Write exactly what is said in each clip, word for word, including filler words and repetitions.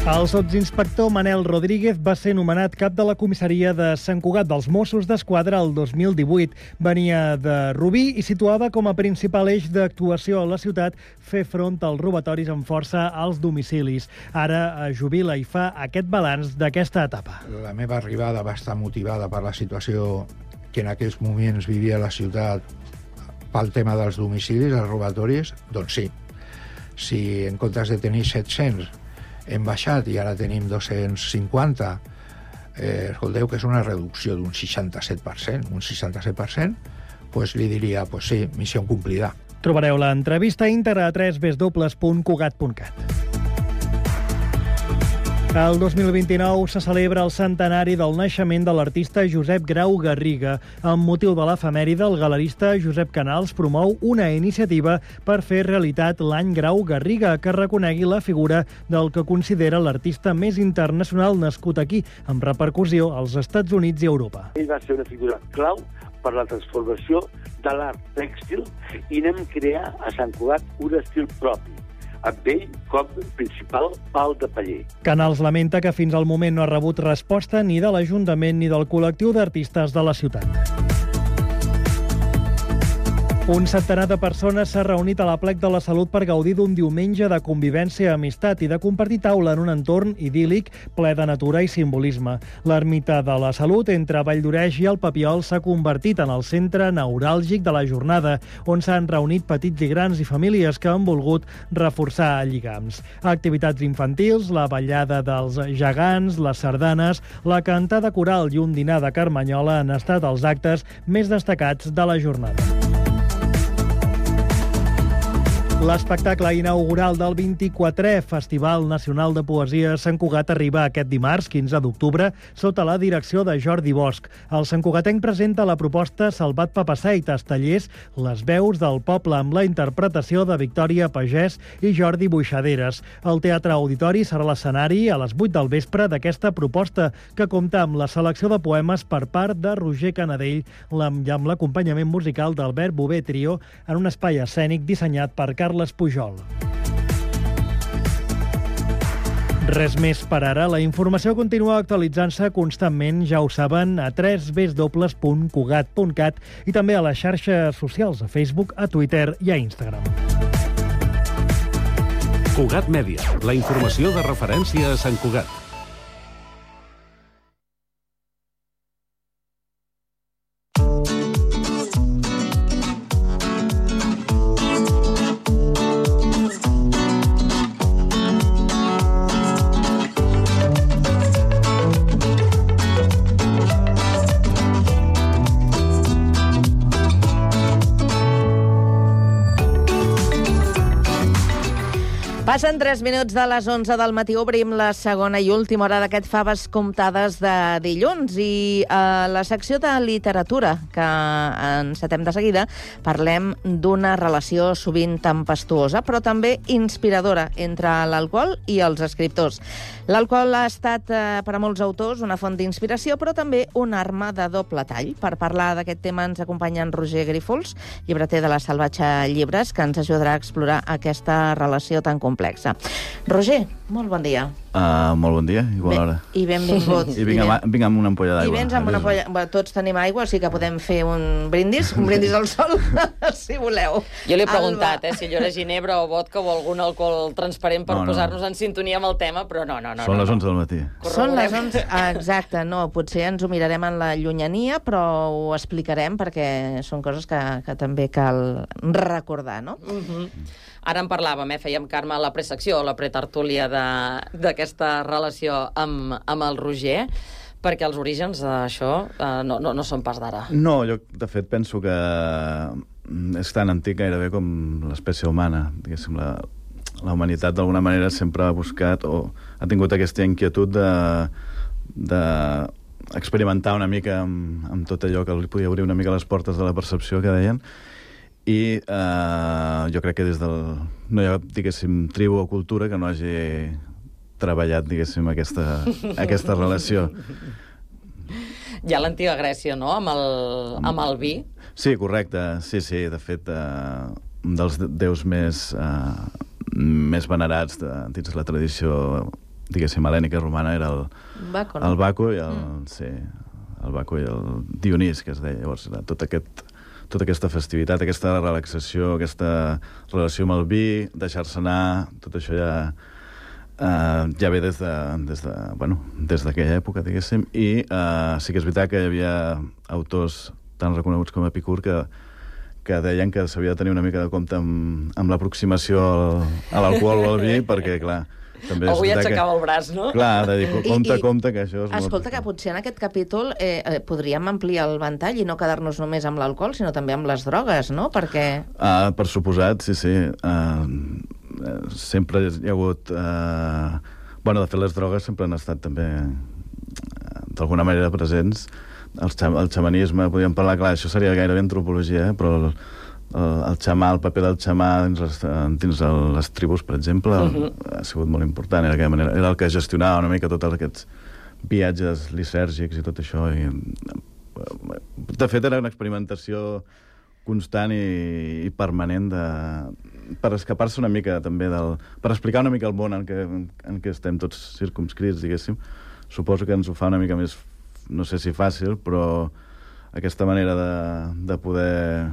El sotsinspector Manel Rodríguez va ser nomenat cap de la comissaria de Sant Cugat dels Mossos d'Esquadra el dos mil divuit. Venia de Rubí i situava com a principal eix d'actuació a la ciutat fer front als robatoris amb força als domicilis. Ara jubila i fa aquest balanç d'aquesta etapa. La meva arribada va estar motivada per la situació que en aquells moments vivia la ciutat pel tema dels domicilis, els robatoris. Doncs sí, si en comptes de tenir set-cents hem baixat i ara tenim dos-cents cinquanta, eh, escolteu que és una reducció d'un seixanta-set per cent, un seixanta-set per cent, doncs li diria, doncs sí, missió complida. Trobareu l'entrevista íntegra a w w w punt cugat punt cat. El dos mil vint-i-nou se celebra el centenari del naixement de l'artista Josep Grau Garriga. Amb motiu de l'efemèride, el galerista Josep Canals promou una iniciativa per fer realitat l'any Grau Garriga, que reconegui la figura del que considera l'artista més internacional nascut aquí, amb repercussió als Estats Units i Europa. Ell va ser una figura clau per la transformació de l'art tèxtil i anem a crear a Sant Cugat un estil propi, amb ell com principal pal de paller. Canals lamenta que fins al moment no ha rebut resposta ni de l'Ajuntament ni del col·lectiu d'artistes de la ciutat. Un centenar de persones s'ha reunit a la Plec de la Salut per gaudir d'un diumenge de convivència, amistat i de compartir taula en un entorn idíl·lic ple de natura i simbolisme. L'Ermita de la Salut, entre Valldoreix i el Papiol, s'ha convertit en el centre neuràlgic de la jornada, on s'han reunit petits i grans i famílies que han volgut reforçar lligams. Activitats infantils, la ballada dels gegants, les sardanes, la cantada coral i un dinar de carmanyola han estat els actes més destacats de la jornada. L'espectacle inaugural del vint-i-quatrè Festival Nacional de Poesia Sant Cugat arriba aquest dimarts, quinze d'octubre, sota la direcció de Jordi Bosch. El santcugatenc presenta la proposta Salvat Papasseit, tallers Les veus del poble, amb la interpretació de Victòria Pagès i Jordi Buixaderes. El Teatre Auditori serà l'escenari a les vuit del vespre d'aquesta proposta, que compta amb la selecció de poemes per part de Roger Canadell i amb l'acompanyament musical d'Albert Bové Trio en un espai escènic dissenyat per Carles Pujol. Res més per ara. La informació continua actualitzant-se constantment, ja ho saben, a w w w punt cugat punt cat i també a les xarxes socials, a Facebook, a Twitter i a Instagram. Cugat Mèdia, la informació de referència a Sant Cugat. Passen tres minuts de les onze del matí. Obrim la segona i última hora d'aquest Faves comptades de dilluns. I a la secció de literatura, que encetem de seguida, parlem d'una relació sovint tempestuosa, però també inspiradora entre l'alcohol i els escriptors. L'alcohol ha estat, eh, per a molts autors, una font d'inspiració, però també una arma de doble tall. Per parlar d'aquest tema ens acompanya en Roger Grífols, llibreter de la Salvatge Llibres, que ens ajudarà a explorar aquesta relació tan complexa. Roger, molt bon dia. Uh, molt bon dia i bona hora. I benvingut. I vinc amb, vinc amb una ampolla d'aigua. I vens amb una ampolla... Bé, tots tenim aigua, sí que podem fer un brindis, un brindis al sol, si voleu. Jo li he preguntat, eh, si allò era ginebra o vodka o algun alcohol transparent per no, no. posar-nos en sintonia amb el tema, però no, no, no. Són no, les onze no. del matí. Són les onze, exacte, no, potser ens ho mirarem en la llunyania, però ho explicarem perquè són coses que, que també cal recordar, no? Uh-huh. Ara en parlàvem, eh? Fèiem, Carme, la presecció, la pretertúlia d'aquesta relació amb, amb el Roger, perquè els orígens d'això eh, no, no, no són pas d'ara. No, jo de fet penso que és tan antic gairebé com l'espècie humana. Diguéssim, la, la humanitat d'alguna manera sempre ha buscat o ha tingut aquesta inquietud de, de experimentar una mica amb, amb tot allò que li podia obrir una mica les portes de la percepció que deien. I eh, jo crec que des del... no hi ha, diguéssim, tribu o cultura que no hagi treballat, diguéssim, aquesta, aquesta relació. Hi ha l'antiga Grècia, no?, amb el, amb el vi. Sí, correcte. Sí, sí, de fet, eh, un dels déus més, eh, més venerats de, dins la tradició diguéssim, helènica romana era el Baco, no? el Baco i el, Mm. sí, el Baco i el Dionís, que es deia. Llavors, era tot aquest, tota aquesta festivitat, aquesta relaxació, aquesta relació amb el vi, deixar-se anar, tot això ja, uh, ja ve des de, des de, bueno, des d'aquella època, diguéssim, i uh, sí que és veritat que hi havia autors tan reconeguts com Epicur que que deien que s'havia de tenir una mica de compte amb, amb l'aproximació al, a l'alcohol o al vi, perquè, clar, també és Algú ja veritat aixecava que... el braç, no? Clar, de dir, compte, I- i- compte, que això és Escolta, que molt... potser en aquest capítol eh, eh, podríem ampliar el ventall i no quedar-nos només amb l'alcohol, sinó també amb les drogues, no? Perquè... Ah, per suposat, sí, sí. Uh, sempre hi ha hagut... Uh... Bueno, de fet, les drogues sempre han estat també uh, d'alguna manera presents. El, xam el xamanisme, podríem parlar, clar, això seria gairebé antropologia, eh? Però el, el, el xamà, el paper del xamà dins les, dins les tribus, per exemple, uh -huh. ha sigut molt important. Era, manera, era el que gestionava una mica tots aquests viatges lisèrgics i tot això. I, de fet, era una experimentació constant i, i permanent de, per escapar-se una mica també del... per explicar una mica el món en què, en què estem tots circumscrits, diguéssim. Suposo que ens ho fa una mica més, no sé si fàcil, però aquesta manera de, de poder,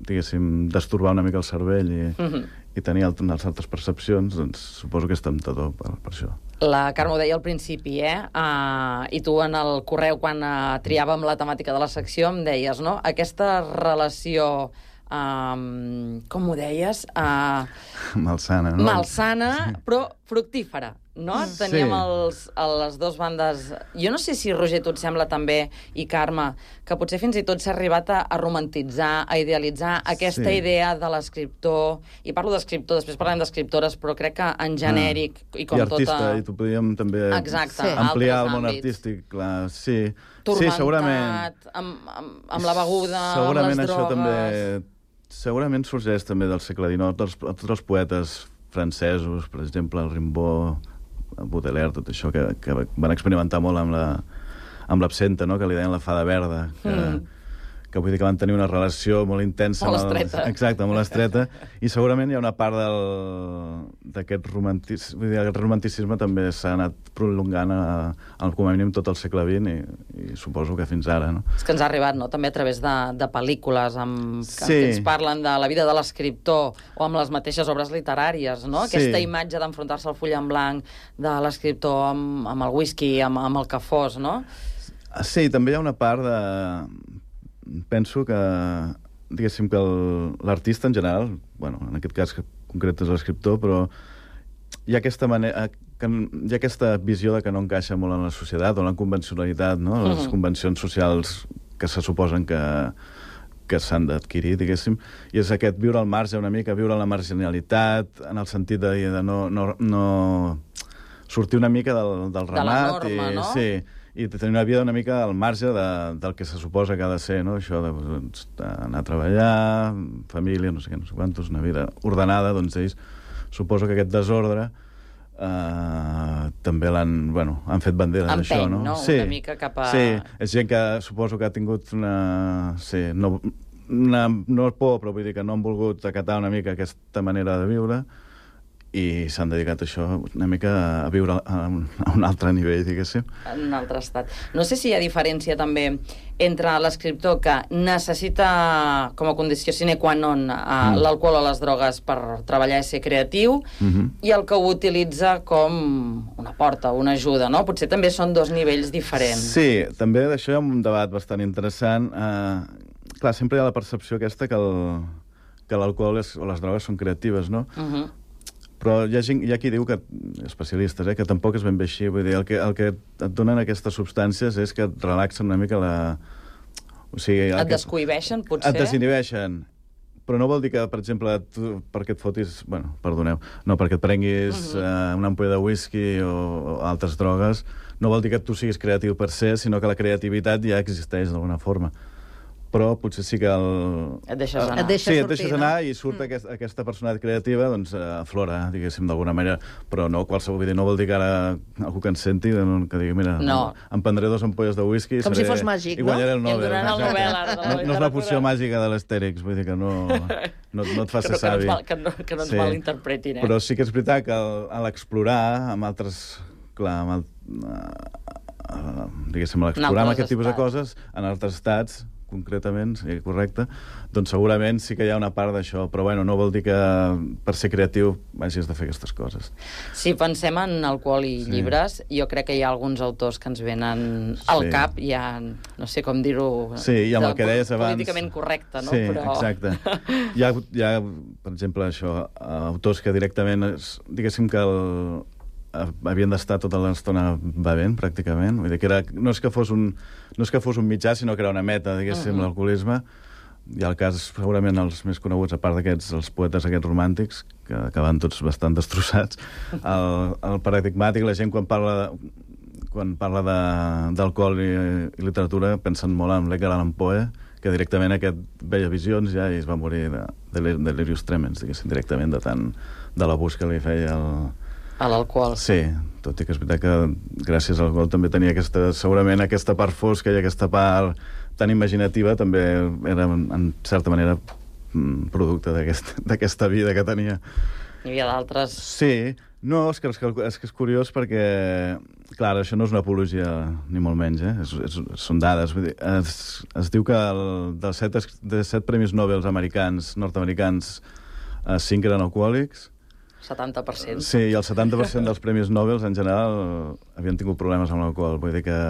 diguéssim, destorbar una mica el cervell i, uh-huh. i tenir alt, unes altres percepcions, doncs suposo que és temptador per, per això. La Carme ho deia al principi, eh? Uh, I tu en el correu, quan uh, triàvem la temàtica de la secció, em deies, no? Aquesta relació... Um, com ho deies? Uh, malsana, no? Malsana, però fructífera, no? Sí. Teníem els, a les dues bandes... Jo no sé si, Roger, tu et sembla també, i Carme, que potser fins i tot s'ha arribat a, a romantitzar, a idealitzar aquesta Sí. idea de l'escriptor, i parlo d'escriptor, després parlem d'escriptores, però crec que en genèric, ah. i com I artista, tota... i tu podíem també Exacte, Sí. ampliar el altres món àmbits. artístic, clar, sí. Turmentat, Sí, segurament. amb, amb, amb la beguda, segurament amb les drogues... això també... Segurament sorgeix també del segle dinou, dels, tots els poetes francesos, per exemple, el Rimbaud, el Baudelaire, tot això, que, que van experimentar molt amb la, amb l'absenta, no?, que li deien la fada verda, que, mm. que vull dir que van tenir una relació molt intensa. Molt estreta. El, exacte, molt estreta, i segurament hi ha una part d'aquest romanticisme, vull dir, el romanticisme també s'ha anat prolongant a, a, com a mínim tot el segle vint i, i suposo que fins ara, no? És que ens ha arribat, no?, també a través de, de pel·lícules amb, que, Sí. que ens parlen de la vida de l'escriptor o amb les mateixes obres literàries, no? Sí. Aquesta imatge d'enfrontar-se al full en blanc de l'escriptor amb, amb el whisky, amb, amb el que fos, no? Sí, també hi ha una part de... Penso que, diguéssim, que l'artista en general, bueno, en aquest cas concret és l'escriptor, però hi ha aquesta manera... Que hi ha aquesta visió de que no encaixa molt en la societat o en la convencionalitat, no? Les Mhm. convencions socials que se suposen que, que s'han d'adquirir, diguéssim, i és aquest viure al marge una mica, viure en la marginalitat, en el sentit de, de no, no, no sortir una mica del, del De la ramat. norma, i, no? Sí, i tenir una vida una mica al marge de, del que se suposa que ha de ser, no? Això de, doncs, d'anar a treballar, família, no sé què, no sé quantos, una vida ordenada, doncs ells suposo que aquest desordre Uh, també l'han, bueno, han fet bandera d'això, Empeny, no? no? Sí, Una mica cap a... sí, és gent que suposo que ha tingut una... Sí, no, una, no por, però vull dir que no han volgut acatar una mica aquesta manera de viure i s'han dedicat a això una mica a viure a un, a un altre nivell, diguéssim. En un altre estat. No sé si hi ha diferència també entre l'escriptor que necessita com a condició sine qua non uh, mm. l'alcohol o les drogues per treballar i ser creatiu, Mm-hmm. i el que ho utilitza com una porta, una ajuda, no? Potser també són dos nivells diferents. Sí, també d'això hi ha un debat bastant interessant. Uh, clar, sempre hi ha la percepció aquesta que el, que l'alcohol és, o les drogues són creatives, no? Uh -huh. Però hi ha, gent, hi ha qui diu, que especialistes, eh, que tampoc és ben bé així. Vull dir, el que, el que et donen aquestes substàncies és que et relaxen una mica la... O sigui, Et que, descohibeixen, potser? et desinhibeixen. Però no vol dir que, per exemple, tu, perquè et fotis... Bueno, perdoneu. No, perquè et prenguis uh -huh. uh, una ampolla de whisky o, o altres drogues, no vol dir que tu siguis creatiu per ser, sinó que la creativitat ja existeix d'alguna forma. Però potser sí que el... Et deixes anar. Et deixes sí, et sortir, deixes no? anar i surt mm. aquest, aquesta personalitat creativa, doncs, aflora, diguéssim, d'alguna manera. Però no qualsevol, vull dir, no vol dir que ara algú que ens senti, que digui, mira, no. em prendré dos ampolles de whisky... Com seré, si fos màgic, i no? guanyaré el I em Nobel. donaran el Exacte. Nobel, ara, de la no, no és la literatura. poció màgica de l'Astèrix, vull dir que no, no, no et fa que, ser no, que, no savi. ens mal, que, no, que no ens Sí. malinterpretin, eh? Però sí que és veritat que al- a l'explorar amb altres clar, amb el, uh, uh, diguéssim, l'explorar amb aquest tipus de coses en altres estats, concretament, sí, correcte, doncs segurament sí que hi ha una part d'això, però bueno, no vol dir que per ser creatiu hagis de fer aquestes coses. Si pensem en alcohol i sí. llibres, jo crec que hi ha alguns autors que ens venen al sí. cap, ja no sé com dir-ho... Sí, i amb el que deies abans... Políticament correcte, no? Sí, però... exacte. Hi ha, hi ha, per exemple, això, autors que directament, diguéssim que el, havien d'estar tota l'estona bevent, pràcticament. Vull dir que era, no, és que fos un, no és que fos un mitjà, sinó que era una meta, diguéssim, uh -huh. l'alcoholisme. Hi ha el cas, segurament, els més coneguts, a part d'aquests, els poetes aquests romàntics, que acaben tots bastant destrossats. El, el paradigmàtic, la gent quan parla de, quan parla d'alcohol i, i literatura pensen molt en l'Edgar Allan Poe, que directament aquest veia visions ja i es va morir de, de delirius tremens, diguéssim, directament de tant de l'abús que li feia el... A l'alcohol. Sí, tot i que és veritat que gràcies a l'alcohol també tenia aquesta, segurament aquesta part fosca i aquesta part tan imaginativa també era, en certa manera, producte d'aquesta vida que tenia. Hi havia d'altres... Sí, no, és que és, que és que és curiós perquè, clar, això no és una apologia, ni molt menys, eh? És, és, són dades. Vull dir, es, es diu que el, dels set, de set premis Nobel americans, nord-americans, cinc eren alcohòlics. setanta per cent. Sí, i el setanta per cent dels premis Nobel, en general, havien tingut problemes amb l'alcohol, vull dir que...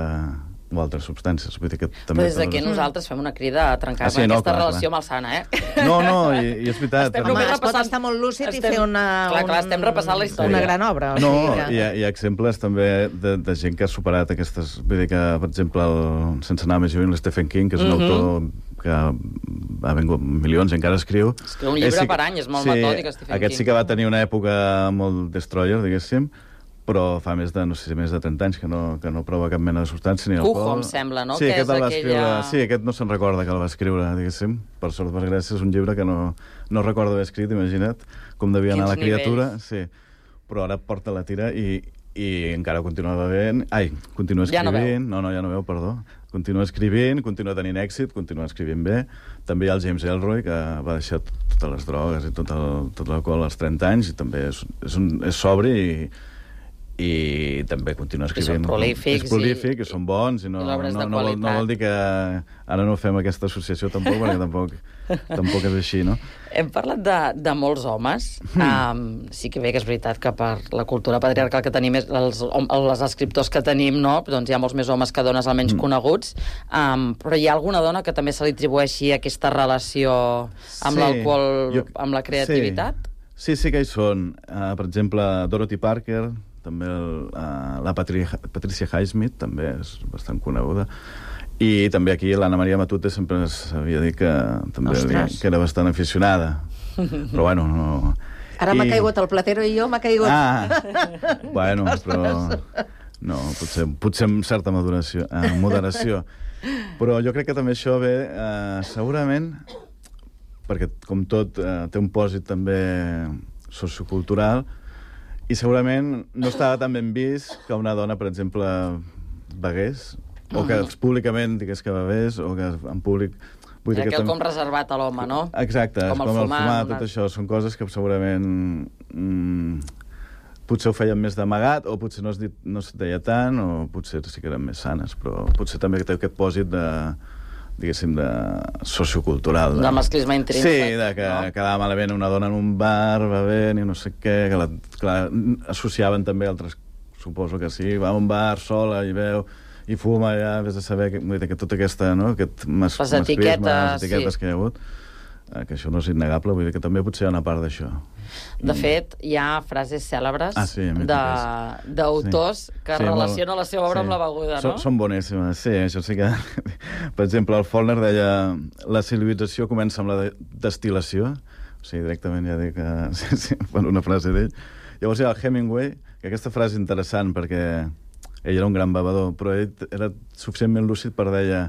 o altres substàncies, vull dir que també... Però des d'aquí nosaltres fem una crida a trencar ah, sí, no, aquesta clar, relació clar. malsana, eh? No, no, i, i és veritat. Estem Home, es pot estar molt lúcid estem... i fer una... Clar, clar, estem repassant la història. Una gran obra. O no, sigui que... hi, ha, hi ha exemples també de, de gent que ha superat aquestes... Vull dir que, per exemple, el, sense anar més lluny, l'Stephen King, que és un uh -huh. autor que ha vengut milions i encara escriu. Escriu un llibre sí, per any, és molt sí, metòdic, Stephen aquest King. sí que va tenir una època molt destroyer, diguéssim, però fa més de, no sé, més de trenta anys que no, que no prova cap mena de substància ni alcohol. Cujo, em sembla, no? Sí, que aquest és el va aquella... escriure... Sí, aquest no se'n recorda que el va escriure, diguéssim. Per sort, per gràcia, és un llibre que no, no recordo haver escrit, imagina't, com devia anar la criatura. Nivells. Sí, però ara porta la tira i, i encara continua bevent... Ai, continua escrivint... Ja no, no, ja no veu, perdó. Continua escrivint, continua tenint èxit, continua escrivint bé. També hi ha el James Ellroy, que va deixar totes les drogues i tot el, tot l'alcohol als trenta anys, i també és, és, un, és sobri i... i també continua escrivint. I són prolífics. És prolífic, i, i són bons, i no, i no, no, no, vol, no vol dir que ara no fem aquesta associació tampoc, perquè tampoc, tampoc és així, no? Hem parlat de, de molts homes. Um, sí que bé que és veritat que per la cultura patriarcal que tenim, els, els escriptors que tenim, no? Doncs hi ha molts més homes que dones almenys mm. coneguts, um, però hi ha alguna dona que també se li atribueixi aquesta relació amb sí, l'alcohol, jo... amb la creativitat? Sí. sí, sí que hi són. Uh, per exemple, Dorothy Parker, també el, uh, la Patri Patricia Highsmith, també és bastant coneguda. I també aquí l'Anna Maria Matute sempre s'havia dit que també havia, que era bastant aficionada. Però bueno, no... Ara I... m'ha caigut el Platero i jo m'ha caigut... Ah, bueno, però... No, potser, potser amb certa moderació, eh, moderació. Però jo crec que també això ve, eh, segurament, perquè com tot eh, té un pòsit també sociocultural, i segurament no estava tan ben vist que una dona, per exemple, begués, o que públicament digués que bevés, o que en públic... Vull dir que quelcom tam... reservat a l'home, no? Exacte, com el com fumar, el fumar tot una... això. Són coses que segurament mm, potser ho feien més d'amagat, o potser no es, dit, no es deia tant, o potser sí que eren més sanes, però potser també té aquest pòsit de, diguéssim, de sociocultural. De, de masclisme intrínsec. Sí, de que no? Quedava malament una dona en un bar, bevent i no sé què, que la, clar, associaven també altres, suposo que sí, va a un bar sola i veu i fuma, ja vés a saber que, que tota aquesta, no? Aquest mas, les etiquetes, les etiquetes sí. que hi ha hagut, eh, que això no és innegable, vull dir que també potser hi ha una part d'això. De I... fet, hi ha frases cèlebres ah, sí, d'autors sí. que sí, relacionen molt... la seva obra sí. amb la beguda, no? Són, són boníssimes, sí, això sí que... Per exemple, el Faulkner deia la civilització comença amb la de destil·lació, o sigui, directament ja dic que... Sí, sí, una frase d'ell. Llavors hi ha el Hemingway, que aquesta frase és interessant perquè ell era un gran bevedor, però ell era suficientment lúcid per deia,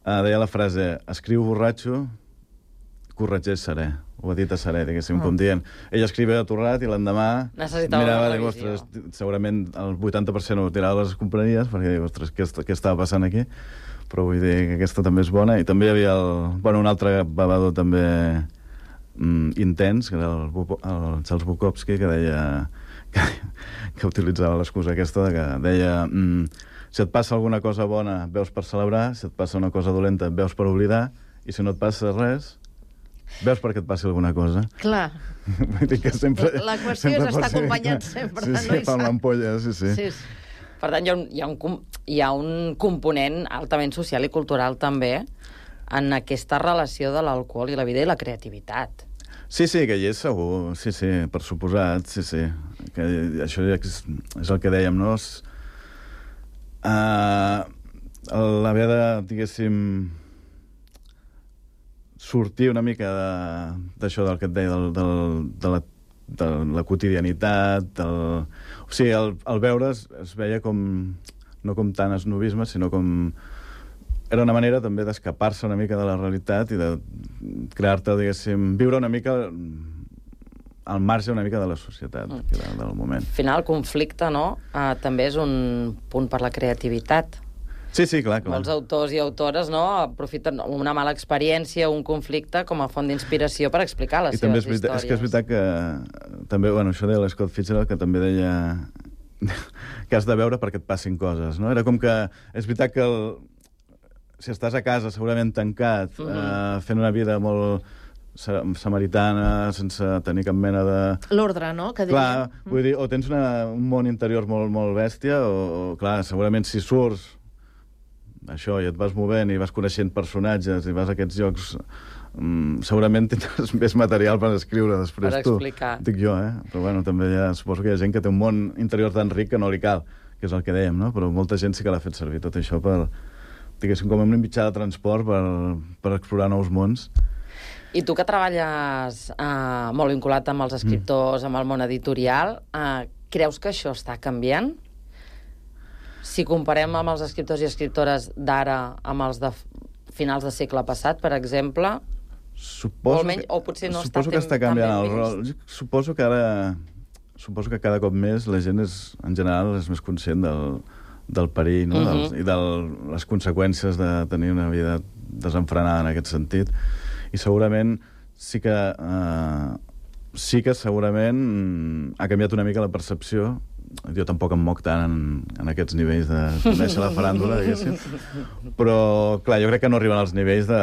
uh, deia la frase, escriu borratxo, corregeix serè, ho ha dit a serè, diguéssim, oh. com dient. Ell escrivia atorrat i l'endemà mirava, dic, ostres, segurament el vuitanta per cent ho tirava a les compraries, perquè dic, ostres, què, què estava passant aquí? Però vull dir que aquesta també és bona. I també hi havia el, bueno, un altre bevedor també mm, intens, que era el, el Charles Bukowski, que deia que, que utilitzava l'excusa aquesta de que deia mm, si et passa alguna cosa bona veus per celebrar, si et passa una cosa dolenta veus per oblidar, i si no et passa res veus perquè et passi alguna cosa. Clar. Vull dir que sempre... La qüestió sempre és estar ser... acompanyat sempre, sí, no? sí, fa l'ampolla, sí, sí. Sí, sí. Per tant, hi ha, un, hi, ha un, hi ha un component altament social i cultural també en aquesta relació de l'alcohol i la vida i la creativitat. Sí, sí, que hi és segur, sí, sí, per suposat, sí, sí. Que això és, és el que dèiem, no? És, uh, l'haver de, diguéssim, sortir una mica d'això del que et deia, del, del, de, la, de la quotidianitat, del... o sigui, el, el veure es, es veia com, no com tant esnovisme, sinó com... Era una manera també d'escapar-se una mica de la realitat i de crear-te, diguéssim, viure una mica al marge una mica de la societat, mm. que era del moment. Al final, el conflicte, no?, uh, també és un punt per la creativitat. Sí, sí, clar, clar. Molts autors i autores, no?, aprofiten una mala experiència, un conflicte, com a font d'inspiració per explicar les I seves també és veritat, històries. És que és veritat que també, bueno, això deia l'Scott Fitzgerald, que també deia que has de veure perquè et passin coses, no? Era com que... És veritat que el, si estàs a casa segurament tancat, mm-hmm. eh, fent una vida molt samaritana, sense tenir cap mena de... L'ordre, no?, que diria. Clar, mm. vull dir, o tens una, un món interior molt, molt bèstia, o, o, clar, segurament si surts això, i et vas movent i vas coneixent personatges i vas a aquests llocs, um, segurament tindràs més material per escriure després per tu. Explicar. Dic jo, eh? Però bueno, també hi ha, suposo que hi ha gent que té un món interior tan ric que no li cal, que és el que dèiem, no? Però molta gent sí que l'ha fet servir tot això per, diguéssim, com un mitjà de transport per, per explorar nous mons. I tu que treballes eh, molt vinculat amb els escriptors, mm. amb el món editorial, eh, creus que això està canviant? Si comparem amb els escriptors i escriptores d'ara amb els de finals de segle passat, per exemple, suposo o, menys, o potser no suposo està, que està canviant el rol. vist. Suposo que ara suposo que cada cop més la gent és, en general, és més conscient del, del perill, no? Uh-huh. Dels, i de les conseqüències de tenir una vida desenfrenada en aquest sentit. I segurament sí que eh, sí que segurament ha canviat una mica la percepció. Jo tampoc em moc tant en, en aquests nivells de conèixer la faràndula, diguéssim. Però, clar, jo crec que no arriben als nivells de,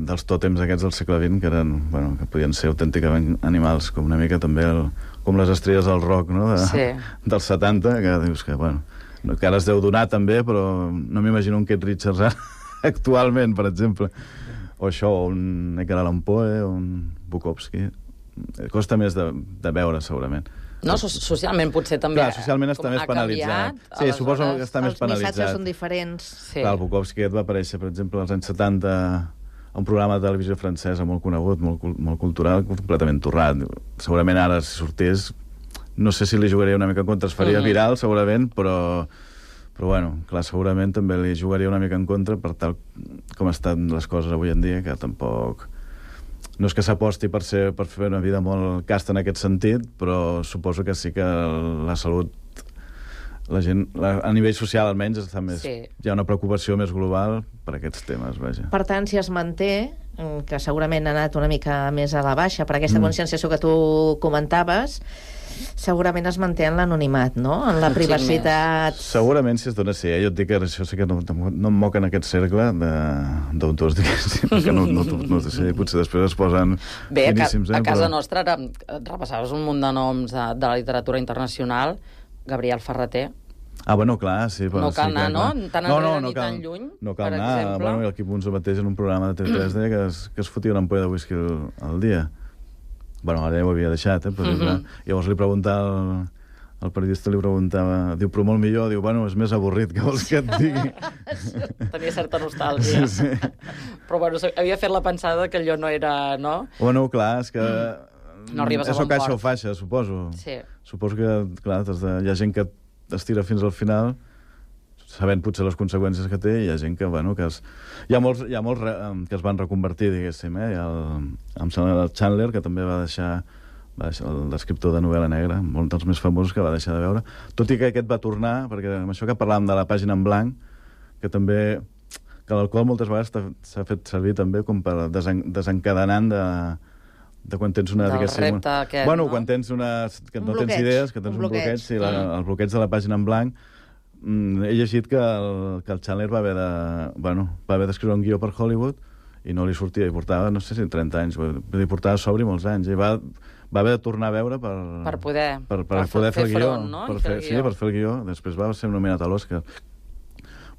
dels tòtems aquests del segle vint, que eren, bueno, que podien ser autènticament animals, com una mica també el, com les estrelles del rock, no?, de, sí. dels setanta, que dius que, bueno, que ara es deu donar també, però no m'imagino un Keith Richards actualment, per exemple. O això, o un Edgar Allan Poe, o un Bukowski. Costa més de, de veure, segurament. No, so socialment potser també... Clar, socialment està més penalitzat. Sí, suposo que està més penalitzat. Els missatges són diferents. Sí. Clar, el Bukowski va aparèixer, per exemple, als anys setanta a un programa de televisió francesa molt conegut, molt, molt cultural, completament torrat. Segurament ara, si sortés, no sé si li jugaria una mica en contra, es faria mm-hmm. viral, segurament, però... Però, bueno, clar, segurament també li jugaria una mica en contra per tal com estan les coses avui en dia, que tampoc... No és que s'aposti per, ser, per fer una vida molt casta en aquest sentit, però suposo que sí que la salut, la gent, la, a nivell social almenys, està més, sí. Hi ha una preocupació més global per aquests temes, vaja. Per tant, si es manté, que segurament ha anat una mica més a la baixa, per aquesta mm. conscienciació que tu comentaves, segurament es manté en l'anonimat, no?, en la privacitat. Segurament, si es dona, sí. Eh? Jo et dic que això sí que no, no em moc en aquest cercle d'autors, diguéssim, que no, no, no, no sé, potser després es posen Bé, finíssims. Bé, a, a casa però... nostra repassaves un munt de noms de, de la literatura internacional, Gabriel Ferreter. Ah, bueno, clar, sí. Però no cal sí, anar, clar, no? Tan no, enrere no, no ni cal, tan lluny, no cal per anar. exemple. Bueno, el Quim Unso mateix en un programa de T V tres deia que es, que es fotia una ampolla de whisky al, al dia. Bueno, ara ja ho havia deixat, eh? Però, mm -hmm. Llavors li preguntava... El, el periodista li preguntava... Diu, però molt millor. Diu, bueno, és més avorrit, que vols que et digui? Tenia certa nostàlgia. Sí, sí. Però, bueno, havia fet la pensada que allò no era, no? Bueno, clar, és que... Mm. No arribes a bon port. És o caixa o faixa, suposo. Sí. Suposo que, clar, de... hi ha gent que estira fins al final, sabent potser les conseqüències que té, i hi ha gent que, bueno, que es... Hi ha molts, hi ha molts re... que es van reconvertir, diguéssim, eh? Hi ha el... Em sembla el Chandler, que també va deixar... l'escriptor de novel·la negra, molt dels més famosos, que va deixar de veure. Tot i que aquest va tornar, perquè amb això que parlàvem de la pàgina en blanc, que també... que l'alcohol moltes vegades s'ha fet servir també com per desen... desencadenant de, de quan tens una... Del diguéssim, repte aquest, bueno, no? quan tens una... que Un no bloqueig, tens idees, que tens un un bloqueig, bloqueig. sí, la, el bloqueig de la pàgina en blanc. Mm, he llegit que el, que el Chandler va haver de... Bueno, va haver d'escriure un guió per Hollywood i no li sortia, i portava, no sé si trenta anys, vull dir, portava sobri molts anys, i va, va haver de tornar a veure per... Per poder, per, per, per poder fer, fer el guió. front, no? Per I fer fer, el sí, guió. per fer el guió. Després va ser nominat a l'Oscar.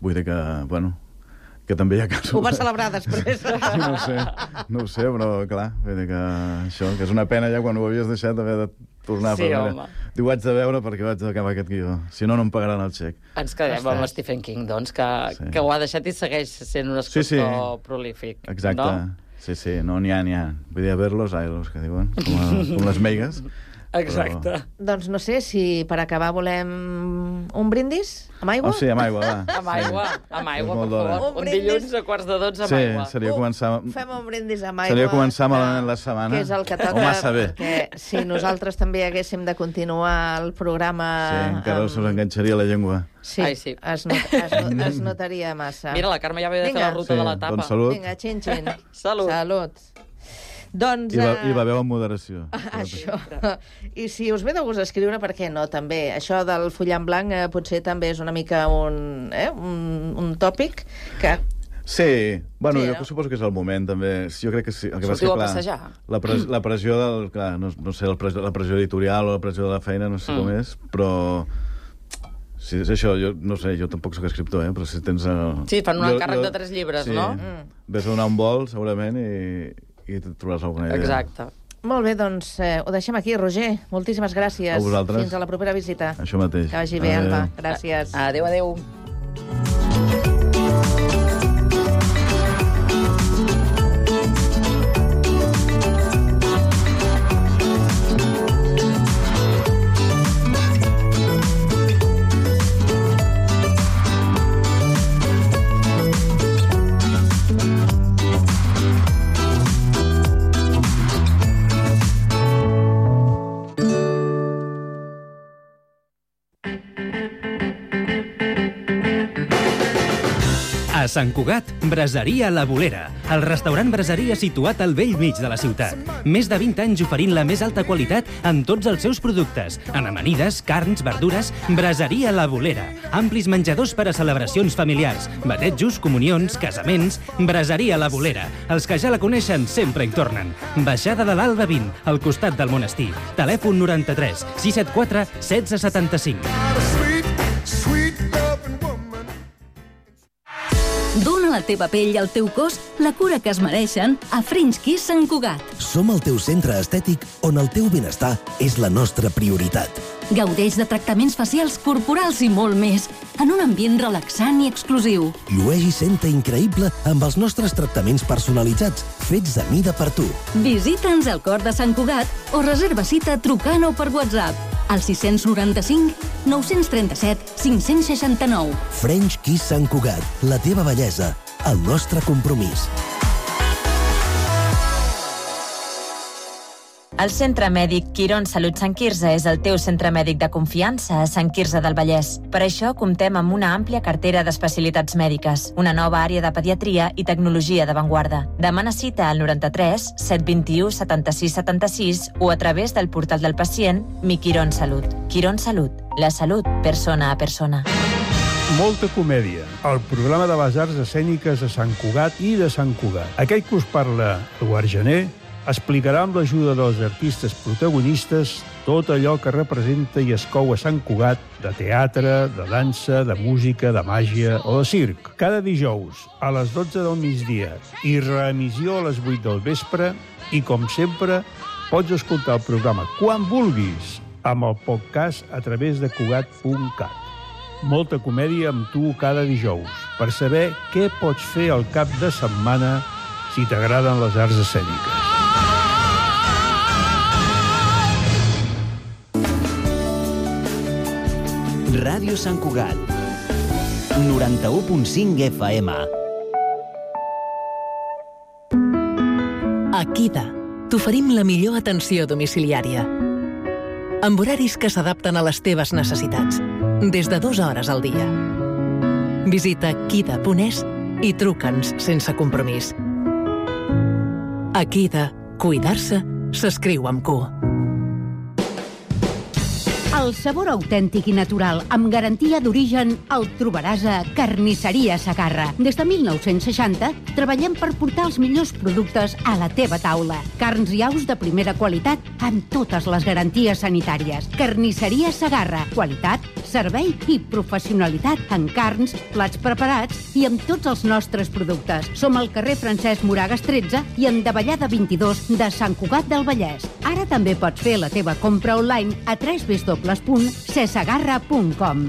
Vull dir que, bueno, que també hi ha casos... Ho va celebrar després. Sí, no ho sé, no ho sé, però clar, vull dir que això, que és una pena ja quan ho havies deixat d'haver de tornar Sí, a home. Diu, ho haig de veure perquè vaig acabar aquest guió. Si no, no em pagaran el xec. Ens quedem Ostres. amb Stephen King, doncs, que, Sí. que ho ha deixat i segueix sent un escriptor Sí, sí. prolífic. Exacte. No? Sí, sí, no, n'hi ha, n'hi ha. Vull dir, a ver los ailos, que diuen, com, a, com les meigues. Exacte. Però... Doncs no sé si per acabar volem un brindis amb aigua? Oh, sí, amb aigua, va. Amb aigua, amb aigua, És molt per d'hora. favor. Un Un brindis. dilluns a quarts de dotze amb Sí, aigua. seria començar... Fem un brindis amb aigua. Seria començar malament que- la setmana. Que és el que toca. O massa bé. Perquè si nosaltres també haguéssim de continuar el programa... Sí, encara amb- se us enganxaria la llengua. Sí, Ai, sí. Es, not, es, not, es notaria massa. Mira, la Carme ja ve de fer Vinga. la ruta Sí, de l'etapa. doncs salut. Vinga, xin-xin. Salut. Salut. Doncs... I, va, eh, I beveu amb moderació. Això. I si us ve de gust escriure, per què no, també? Això del fullar en blanc eh, potser també és una mica un, eh, un, un tòpic que... Sí, bueno, Sí, sí, no? jo suposo que és el moment, també. Sí, jo crec que sí. El que passa Sortiu que, a passejar. La, pres, la pressió del... Clar, no, no sé, la pressió, la pressió editorial o la pressió de la feina, no sé mm. com és, però... Si és això, jo no sé, jo tampoc sóc escriptor, eh, però si tens... El... Sí, fan un encàrrec de tres llibres, sí, no? Mm. Ves a donar un vol, segurament, i, i et trobaràs alguna idea. Exacte. Molt bé, doncs eh, ho deixem aquí, Roger. Moltíssimes gràcies. A vosaltres. Fins a la propera visita. Això mateix. Que vagi bé, Adéu. Alba. Gràcies. Adéu, adéu. A Sant Cugat, Braseria La Bolera, el restaurant braseria situat al vell mig de la ciutat. Més de vint anys oferint la més alta qualitat en tots els seus productes. En amanides, carns, verdures, Braseria La Bolera. Amplis menjadors per a celebracions familiars, batejos, comunions, casaments... Braseria La Bolera. Els que ja la coneixen sempre hi tornen. Baixada de l'Alba vint, al costat del monestir. Telèfon noranta-tres sis set quatre setze setanta-cinc. Dóna a la teva pell i al teu cos la cura que es mereixen a French Kiss Sant Cugat. Som el teu centre estètic on el teu benestar és la nostra prioritat. Gaudeix de tractaments facials, corporals i molt més, en un ambient relaxant i exclusiu. Llueix i senta increïble amb els nostres tractaments personalitzats, fets a mida per tu. Visita'ns al cor de Sant Cugat o reserva cita trucant o per WhatsApp al sis noranta-cinc nou trenta-set cinc seixanta-nou. French Kiss Sant Cugat, la teva bellesa, el nostre compromís. El Centre Mèdic Quirón Salut Sant Quirze és el teu centre mèdic de confiança a Sant Quirze del Vallès. Per això comptem amb una àmplia cartera d'especialitats mèdiques, una nova àrea de pediatria i tecnologia d'avantguarda. Demana cita al noranta-tres set vint-i-u setanta-sis setanta-sis o a través del portal del pacient Mi Quirón Salut. Quirón Salut, la salut persona a persona. Molta comèdia, el programa de les arts escèniques de Sant Cugat i de Sant Cugat. Aquell que us parla Eduard Gené explicarà amb l'ajuda dels artistes protagonistes tot allò que representa i es cou a Sant Cugat de teatre, de dansa, de música, de màgia o de circ. Cada dijous a les dotze del migdia i reemissió a les vuit del vespre i, com sempre, pots escoltar el programa quan vulguis amb el podcast a través de cugat punt cat. Molta comèdia amb tu cada dijous per saber què pots fer al cap de setmana si t'agraden les arts escèniques. Ràdio Sant Cugat, noranta-u punt cinc F M. A Kida t'oferim la millor atenció domiciliària, amb horaris que s'adapten a les teves necessitats, des de dues hores al dia. Visita kida punt es i truca'ns sense compromís. A Kida, cuidar-se s'escriu amb Q. El sabor autèntic i natural, amb garantia d'origen, el trobaràs a Carnisseria Segarra. Des de mil nou-cents seixanta, treballem per portar els millors productes a la teva taula. Carns i aus de primera qualitat, amb totes les garanties sanitàries. Carnisseria Segarra. Qualitat, servei i professionalitat en carns, plats preparats i amb tots els nostres productes. Som al carrer Francesc Moragas tretze i en Davallada vint-i-dos de Sant Cugat del Vallès. Ara també pots fer la teva compra online a w w w punt cesegarra punt com.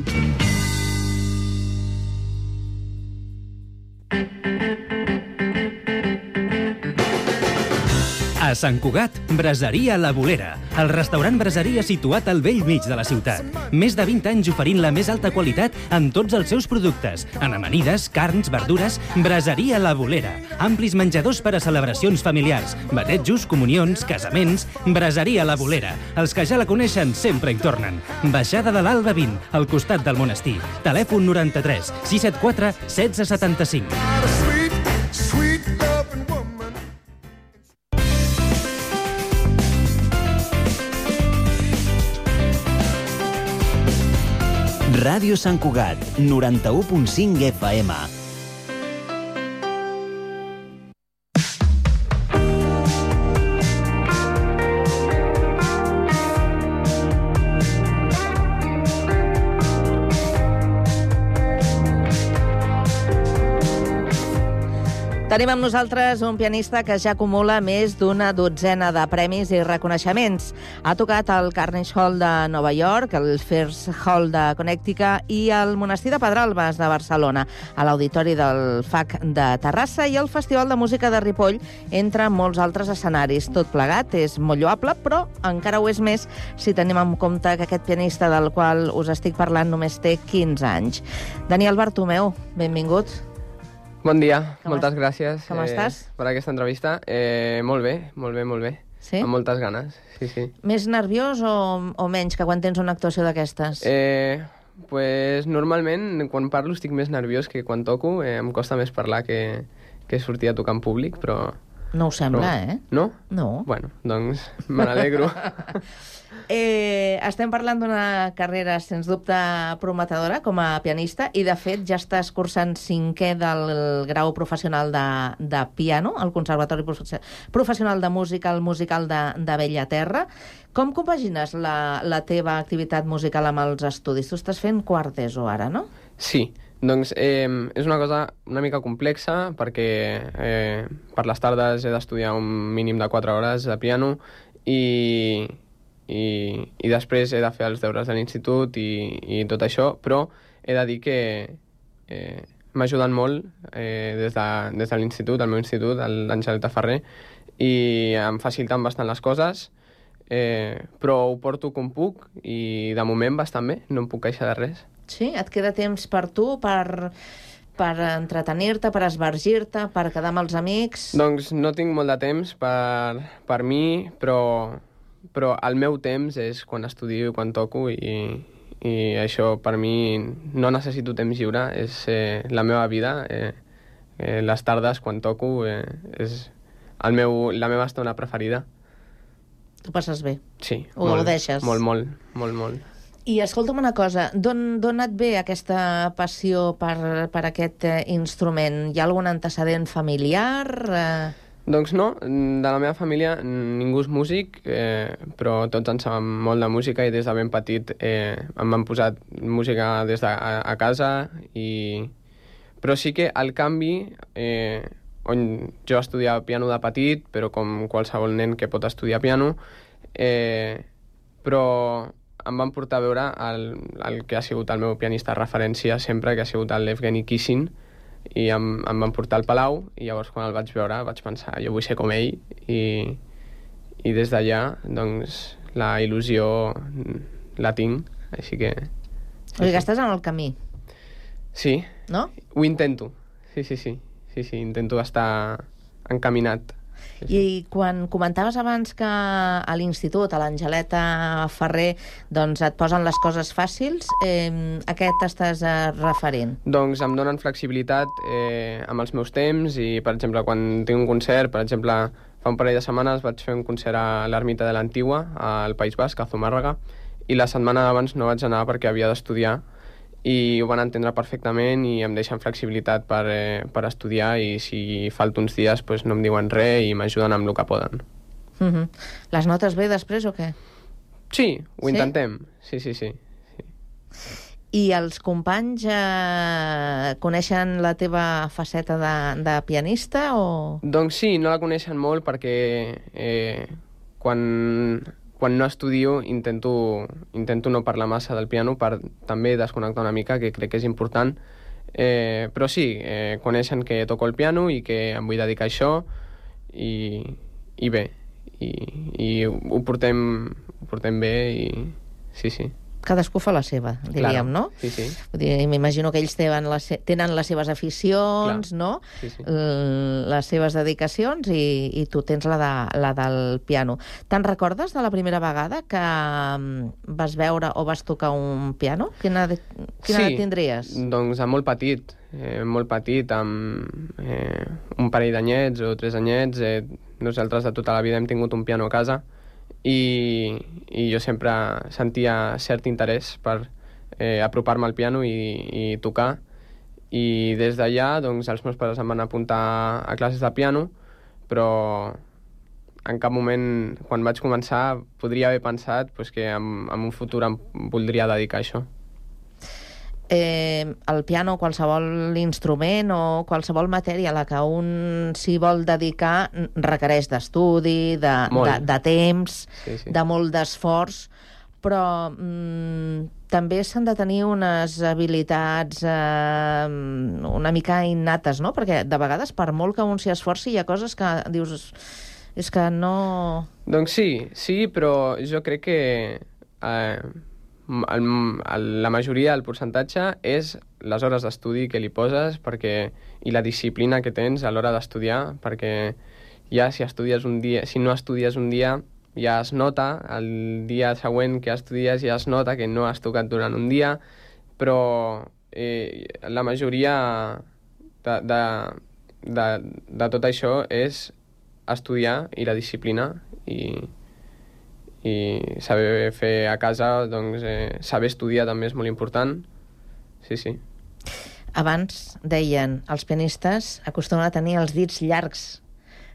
A Sant Cugat, Braseria La Bolera, el restaurant braseria situat al vell mig de la ciutat. Més de vint anys oferint la més alta qualitat en tots els seus productes. En amanides, carns, verdures, Braseria La Bolera. Amplis menjadors per a celebracions familiars, batejos, comunions, casaments. Braseria La Bolera. Els que ja la coneixen sempre hi tornen. Baixada de l'Alba vint, al costat del monestir. Telèfon noranta-tres sis set quatre setze setanta-cinc. Ràdio Sant Cugat, noranta-u punt cinc F M. Tenim amb nosaltres un pianista que ja acumula més d'una dotzena de premis i reconeixements. Ha tocat al Carnegie Hall de Nova York, el First Hall de Connecticut i el Monestir de Pedralbes de Barcelona, a l'Auditori del F A C de Terrassa i el Festival de Música de Ripoll, entre molts altres escenaris. Tot plegat és molt lloable, però encara ho és més si tenim en compte que aquest pianista del qual us estic parlant només té quinze anys. Daniel Bartomeu, benvingut. Bon dia, Com moltes est- gràcies com estàs? per aquesta entrevista. Eh, molt bé, molt bé, molt bé. Sí? Amb moltes ganes, sí, sí. Més nerviós o, o menys que quan tens una actuació d'aquestes? Eh, pues, normalment, quan parlo estic més nerviós que quan toco. Eh, em costa més parlar que, que sortir a tocar en públic, però... No ho sembla, però... eh? No? No. Bueno, doncs me n'alegro. Eh, estem parlant d'una carrera, sens dubte, prometedora com a pianista i, de fet, ja estàs cursant cinquè del grau professional de, de piano al Conservatori Profe- Professional de Música, al Musical de, de Bellaterra. Com compagines la, la teva activitat musical amb els estudis? Tu estàs fent quart d'ESO ara, no? Sí, doncs eh, és una cosa una mica complexa perquè eh, per les tardes he d'estudiar un mínim de quatre hores de piano i, i, i després he de fer els deures de l'institut i, i tot això, però he de dir que eh, m'ajuden molt eh, des de, des de l'institut, el meu institut, l'Angeleta Ferrer, i em faciliten bastant les coses, eh, però ho porto com puc i de moment bastant bé, no em puc queixar de res. Sí? Et queda temps per tu, per, per entretenir-te, per esvergir-te, per quedar amb els amics? Doncs no tinc molt de temps per, per mi, però, però el meu temps és quan estudio i quan toco i, i això per mi no necessito temps lliure, és eh, la meva vida. Eh, eh, les tardes quan toco eh, és el meu, la meva estona preferida. Tu passes bé? Sí. Ho molt, deixes? Molt, molt, molt, molt. I escolta'm una cosa, d'on d'on et ve aquesta passió per, per aquest eh, instrument? Hi ha algun antecedent familiar? Eh... Doncs no, de la meva família ningú és músic, eh, però tots en sabem molt de música i des de ben petit eh, em van posat música des de a, a casa, i... però sí que el canvi, eh, on jo estudiava piano de petit, però com qualsevol nen que pot estudiar piano, eh, però em van portar a veure el, el que ha sigut el meu pianista de referència sempre, que ha sigut l'Evgeny Kissin, i em, em van portar al Palau, i llavors quan el vaig veure vaig pensar, jo vull ser com ell, i, i des d'allà doncs la il·lusió la tinc, així que... O sigui que estàs en el camí. Sí, no? Ho intento, sí, sí, sí, sí, sí, intento estar encaminat. I quan comentaves abans que a l'institut, a l'Angeleta Ferrer, doncs et posen les coses fàcils, eh, a què t'estàs eh, referint? Doncs em donen flexibilitat eh, amb els meus temps i, per exemple, quan tinc un concert, per exemple, fa un parell de setmanes vaig fer un concert a l'Ermita de l'Antigua, al País Basc, a Zumárraga, i la setmana abans no vaig anar perquè havia d'estudiar, i ho van entendre perfectament i em deixen flexibilitat per, eh, per estudiar, i si falto uns dies pues, no em diuen res i m'ajuden amb el que poden. Uh-huh. Les notes bé després o què? Sí, ho sí? intentem. Sí, sí, sí. sí. I els companys eh, coneixen la teva faceta de, de pianista o...? Doncs sí, no la coneixen molt perquè eh, quan, quan no estudio intento, intento no parlar massa del piano per també desconnectar una mica, que crec que és important. Eh, però sí, eh, coneixen que toco el piano i que em vull dedicar a això i, i bé, i, i ho, portem, ho portem bé i sí, sí. Cadascú fa la seva, diríem, claro. no? Sí, sí. Vull dir, m'imagino que ells tenen les, tenen les seves aficions, Clar. no? Sí, sí. Les seves dedicacions i, i tu tens la, de, la del piano. Te'n recordes de la primera vegada que vas veure o vas tocar un piano? Quina, quina sí, edat tindries? Doncs molt petit, eh, molt petit, amb eh, un parell d'anyets o tres anyets. Eh, nosaltres de tota la vida hem tingut un piano a casa, I, i jo sempre sentia cert interès per eh, apropar-me al piano i, i tocar, i des d'allà doncs, els meus pares em van apuntar a classes de piano, però en cap moment, quan vaig començar, podria haver pensat pues, que en, en un futur em voldria dedicar a això. Eh, el piano, qualsevol instrument o qualsevol matèria a la que un s'hi vol dedicar requereix d'estudi, de, de, de temps, sí, sí. de molt d'esforç, però mm, també s'han de tenir unes habilitats eh, una mica innates, no? Perquè de vegades, per molt que un s'hi esforci, hi ha coses que dius... És que no... Doncs sí, sí, però jo crec que... Eh, El, el, la majoria del percentatge és les hores d'estudi que li poses perquè, i la disciplina que tens a l'hora d'estudiar, perquè ja si estudies un dia, si no estudies un dia ja es nota, el dia següent que estudies ja es nota que no has tocat durant un dia, però eh, la majoria de, de, de, de tot això és estudiar i la disciplina i i saber fer a casa, doncs eh, saber estudiar també és molt important. Sí, sí. Abans deien, els pianistes acostumen a tenir els dits llargs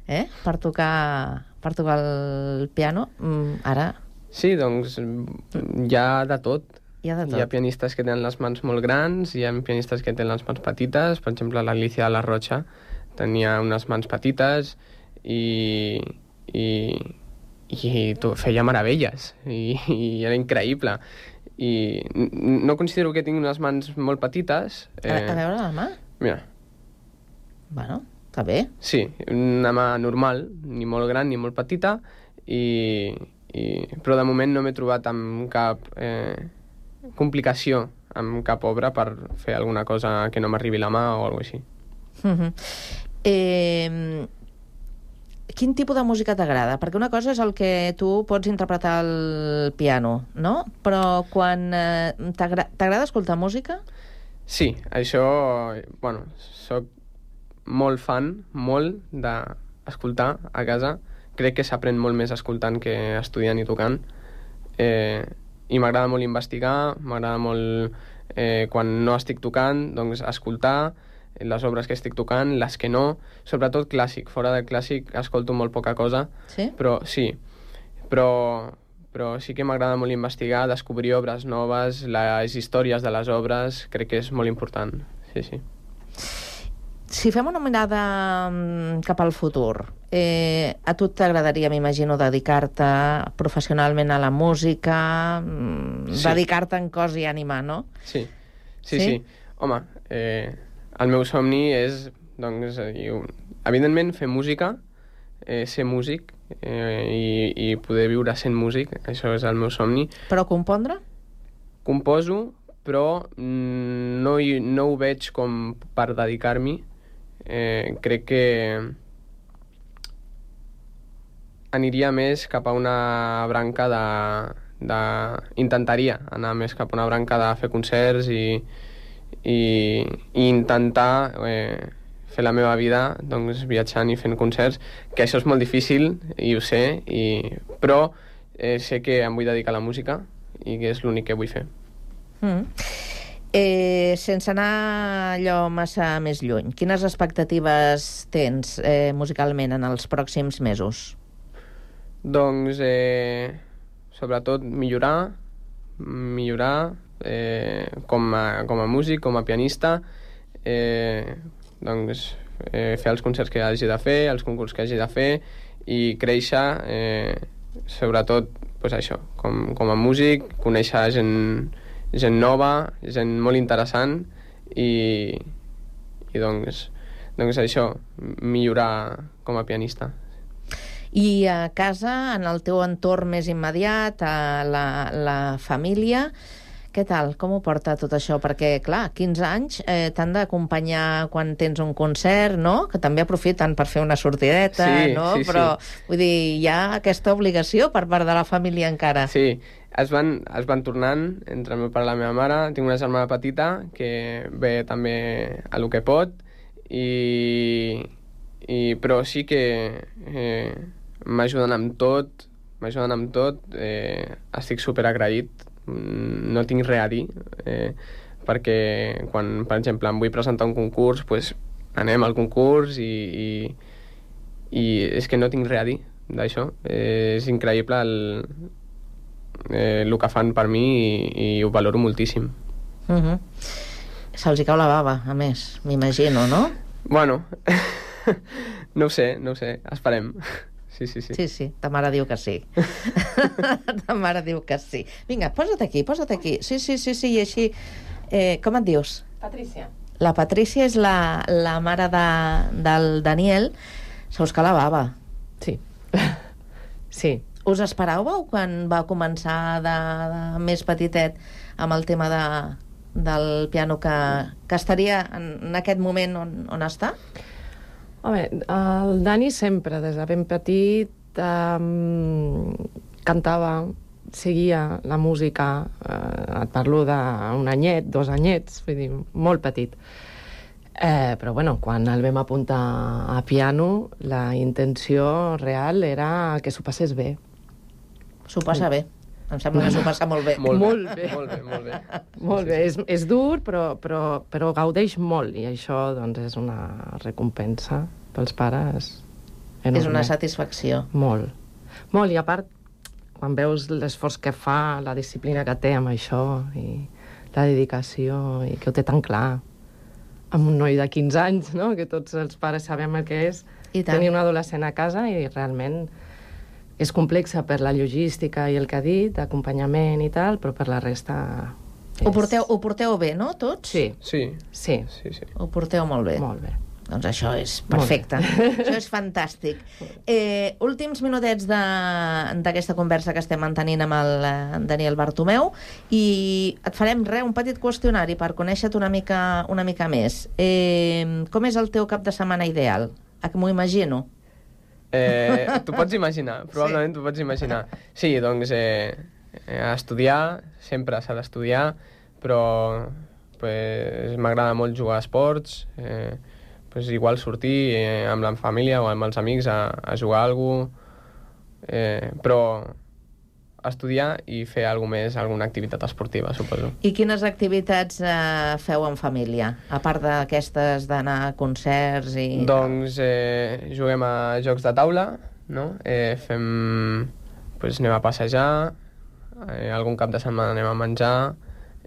eh? per tocar per tocar el piano. Mm, ara... Sí, doncs hi ha de tot. Hi ha de tot. Hi ha pianistes que tenen les mans molt grans, hi ha pianistes que tenen les mans petites. Per exemple, l'Alicia de la Rocha tenia unes mans petites i... i i feia meravelles i, i era increïble i no considero que tingui unes mans molt petites. Eh... A, a veure la mà? Mira. Bueno, està bé. Sí, una mà normal, ni molt gran ni molt petita, i, i... però de moment no m'he trobat amb cap eh, complicació, amb cap obra per fer alguna cosa que no m'arribi la mà o alguna cosa així. Uh-huh. Eh... Quin tipus de música t'agrada? Perquè una cosa és el que tu pots interpretar al piano, no? Però quan eh, t'agrada escoltar música? Sí, això... Bueno, soc molt fan, molt d'escoltar a casa. Crec que s'aprèn molt més escoltant que estudiant i tocant. Eh, I m'agrada molt investigar, m'agrada molt, eh, quan no estic tocant, doncs escoltar les obres que estic tocant, les que no, sobretot clàssic. Fora del clàssic escolto molt poca cosa, sí? Però sí, però, però sí que m'agrada molt investigar, descobrir obres noves, les històries de les obres, crec que és molt important, sí, sí. Si fem una mirada cap al futur, eh, a tu t'agradaria, m'imagino, dedicar-te professionalment a la música, sí. dedicar-te en cos i ànima, no? Sí, sí, sí. sí. Home, eh, el meu somni és, doncs, evidentment, fer música, eh, ser músic eh, i, i poder viure sent músic, això és el meu somni. Però compondre? Composo, però no, no ho veig com per dedicar-m'hi. Eh, crec que aniria més cap a una branca de, de... Intentaria anar més cap a una branca de fer concerts i, i, i intentar eh, fer la meva vida doncs, viatjant i fent concerts, que això és molt difícil, i ho sé, i... però eh, sé que em vull dedicar a la música i que és l'únic que vull fer. Mm. Eh, sense anar allò massa més lluny, quines expectatives tens eh, musicalment en els pròxims mesos? Doncs, eh, sobretot, millorar, millorar eh, com, a, com a músic, com a pianista, eh, doncs, eh, fer els concerts que hagi de fer, els concursos que hagi de fer, i créixer, eh, sobretot, pues això, com, com a músic, conèixer gent, gent nova, gent molt interessant, i, i doncs, doncs això, millorar com a pianista. I a casa, en el teu entorn més immediat, a la, la família, què tal? Com ho porta tot això? Perquè, clar, quinze anys eh, t'han d'acompanyar quan tens un concert, no? Que també aprofiten per fer una sortideta, sí, no? Sí, Però, sí. vull dir, hi ha aquesta obligació per part de la família encara. Sí, es van, es van tornant entre el meu pare i la meva mare. Tinc una germana petita que ve també a lo que pot, i, i, però sí que eh, m'ajuden amb tot, m'ajuden amb tot, eh, estic superagraït, no tinc res a dir, eh, perquè quan, per exemple, em vull presentar un concurs, pues, anem al concurs i, i, i és que no tinc res a dir d'això. Eh, és increïble el, eh, el que fan per mi, i, i ho valoro moltíssim. Uh-huh. Se'ls hi cau la bava, a més, m'imagino, no? Bueno, no ho sé, no ho sé, esperem. Sí, sí, sí. Sí, sí, ta mare diu que sí. Ta mare diu que sí. Vinga, posa't aquí, posa't aquí. Sí, sí, sí, sí, i així... Eh, com et dius? Patrícia. La Patrícia és la, la mare de, del Daniel. Se us cau la bava. Sí. Sí. Us esperàveu quan va començar de, de més petitet amb el tema de, del piano que, que estaria en, en aquest moment on, on està? Home, el Dani sempre, des de ben petit, um, cantava, seguia la música, eh, et parlo d'un anyet, dos anyets, vull dir, molt petit. Eh, però, bueno, quan el vam apuntar a piano, la intenció real era que s'ho passés bé. S'ho passa bé. Em sembla que s'ho passa molt bé. Molt, molt bé. Molt bé, molt bé. Molt bé. És, és dur, però, però, però gaudeix molt, i això doncs, és una recompensa pels pares enorme. És una satisfacció. Molt. Molt, i a part, quan veus l'esforç que fa, la disciplina que té amb això, i la dedicació, i que ho té tan clar, amb un noi de quinze anys, no? Que tots els pares sabem el que és, tenir un adolescent a casa, i realment és complexa per la logística i el que ha dit, acompanyament i tal, però per la resta... És... Ho, porteu, ho porteu bé, no, tots? Sí. Sí. Sí. sí, sí. Ho porteu molt bé. Molt bé. Doncs això és perfecte. Això és fantàstic. Eh, últims minutets d'aquesta conversa que estem mantenint amb el Daniel Bartomeu, i et farem res, un petit qüestionari per conèixer-te una mica, una mica més. Eh, com és el teu cap de setmana ideal? A que m'ho imagino? Eh, t'ho pots imaginar, probablement sí. T'ho pots imaginar. Sí, doncs, eh, eh, estudiar, sempre s'ha d'estudiar, però pues, m'agrada molt jugar a esports, eh, pues, igual sortir eh, amb la família o amb els amics a, a jugar a alguna cosa, eh, però estudiar i fer alguna més, alguna activitat esportiva, suposo. I quines activitats eh, feu en família, a part d'aquestes d'anar a concerts i... Doncs eh, juguem a jocs de taula, no? Eh, fem... Pues anem a passejar, eh, algun cap de setmana anem a menjar,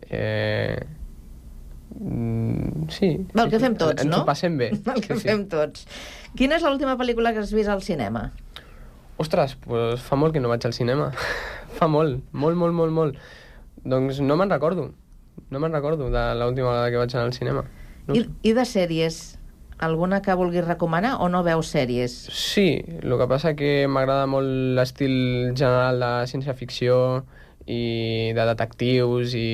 eh... Mm, sí. El que fem tots, ens no? Ens ho passem bé. El que sí, fem sí. tots. Quina és l'última pel·lícula que has vist al cinema? Ostres, pues fa molt que no vaig al cinema. Fa molt, molt, molt, molt, molt. Doncs no me'n recordo. No me'n recordo de l'última vegada que vaig anar al cinema. No. I, I de sèries? Alguna que vulguis recomanar o no veus sèries? Sí, el que passa que m'agrada molt l'estil general de ciència-ficció i de detectius i,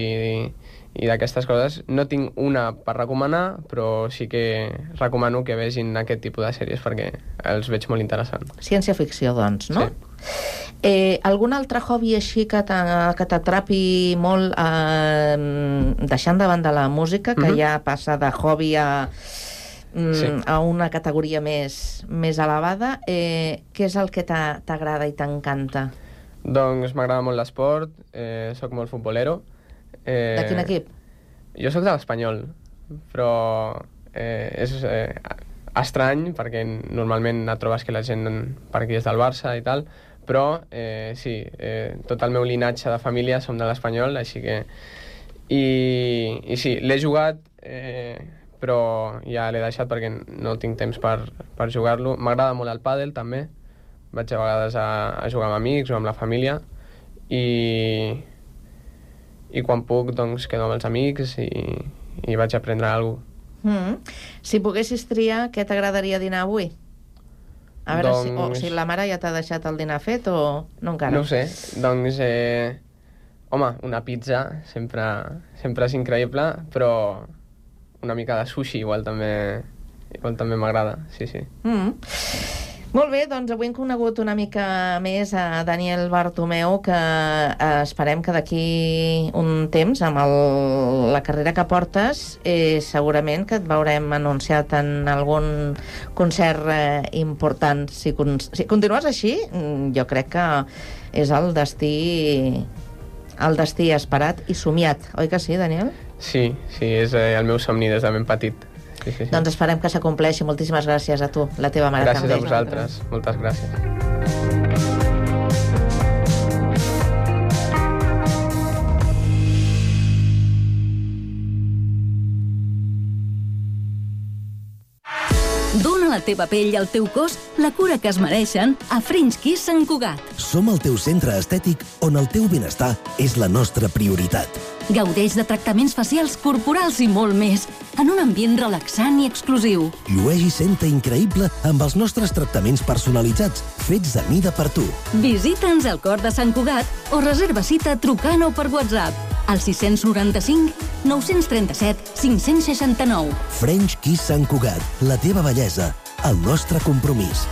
i d'aquestes coses. No tinc una per recomanar, però sí que recomano que vegin aquest tipus de sèries perquè els veig molt interessants. Ciència-ficció, doncs, no? Sí. Eh, algun altre hobby així que t'atrapi molt, eh, deixant de banda la música, que mm-hmm. ja passa de hobby a... mm, Sí. a una categoria més, més elevada. Eh, què és el que t'ha- t'agrada i t'encanta? Doncs m'agrada molt l'esport, eh, sóc molt futbolero. Eh, De quin equip? Jo sóc de l'Espanyol, però eh, és eh, estrany perquè normalment et trobes que la gent per aquí és del Barça i tal, però eh, sí, eh, tot el meu linatge de família som de l'Espanyol, així que... I, i sí, l'he jugat, eh, però ja l'he deixat perquè no tinc temps per, per jugar-lo. M'agrada molt el pàdel, també. Vaig a vegades a, a jugar amb amics o amb la família i, i quan puc doncs quedo amb els amics i, i vaig a aprendre alguna cosa. Mm. Si poguessis triar, què t'agradaria dinar avui? A veure Doncs... si, o, si la mare ja t'ha deixat el dinar fet o no encara. No ho sé, doncs... Eh, home, una pizza sempre, sempre és increïble, però una mica de sushi igual també igual també m'agrada, sí, sí. Mm. Molt bé, doncs avui hem conegut una mica més a Daniel Bartomeu, que eh, esperem que d'aquí un temps, amb el, la carrera que portes, eh, segurament que et veurem anunciat en algun concert eh, important. Si, con si continues així, jo crec que és el destí el destí esperat i somiat, oi que sí, Daniel? Sí, sí, és eh, el meu somni des de ben petit. Sí, sí, sí. Doncs esperem que s'acompleixi. Moltíssimes gràcies a tu, la teva mare gràcies també. Gràcies a vosaltres, moltes gràcies. Dóna a la teva pell i al teu cos la cura que es mereixen a French Kiss Sant Cugat. Som el teu centre estètic on el teu benestar és la nostra prioritat. Gaudeix de tractaments facials, corporals i molt més, en un ambient relaxant i exclusiu. Llueix i senta increïble amb els nostres tractaments personalitzats, fets a mida per tu. Visita'ns al cor de Sant Cugat o reserva cita trucant o per WhatsApp al sis noranta-cinc nou trenta-set cinc seixanta nou. French Kiss Sant Cugat, la teva bellesa, el nostre compromís.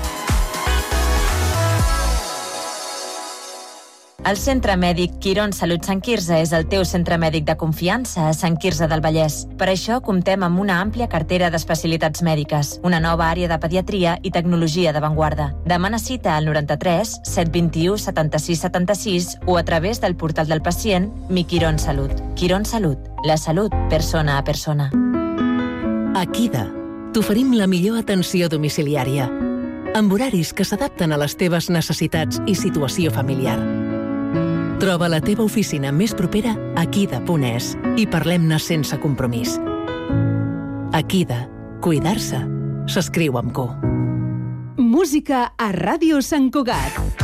El Centre Mèdic Quirón Salut Sant Quirze és el teu centre mèdic de confiança a Sant Quirze del Vallès. Per això comptem amb una àmplia cartera d'especialitats mèdiques, una nova àrea de pediatria i tecnologia d'avantguarda. Demana cita al noranta-tres set vint-i-u setanta-sis setanta-sis o a través del portal del pacient Mi Quirón Salut. Quirón Salut, la salut persona a persona. A Kida t'oferim la millor atenció domiciliària, amb horaris que s'adapten a les teves necessitats i situació familiar. Troba la teva oficina més propera a kida punt es i parlem-ne sense compromís. Akida, cuidar-se, s'escriu amb Q. Música a Ràdio Sant Cugat.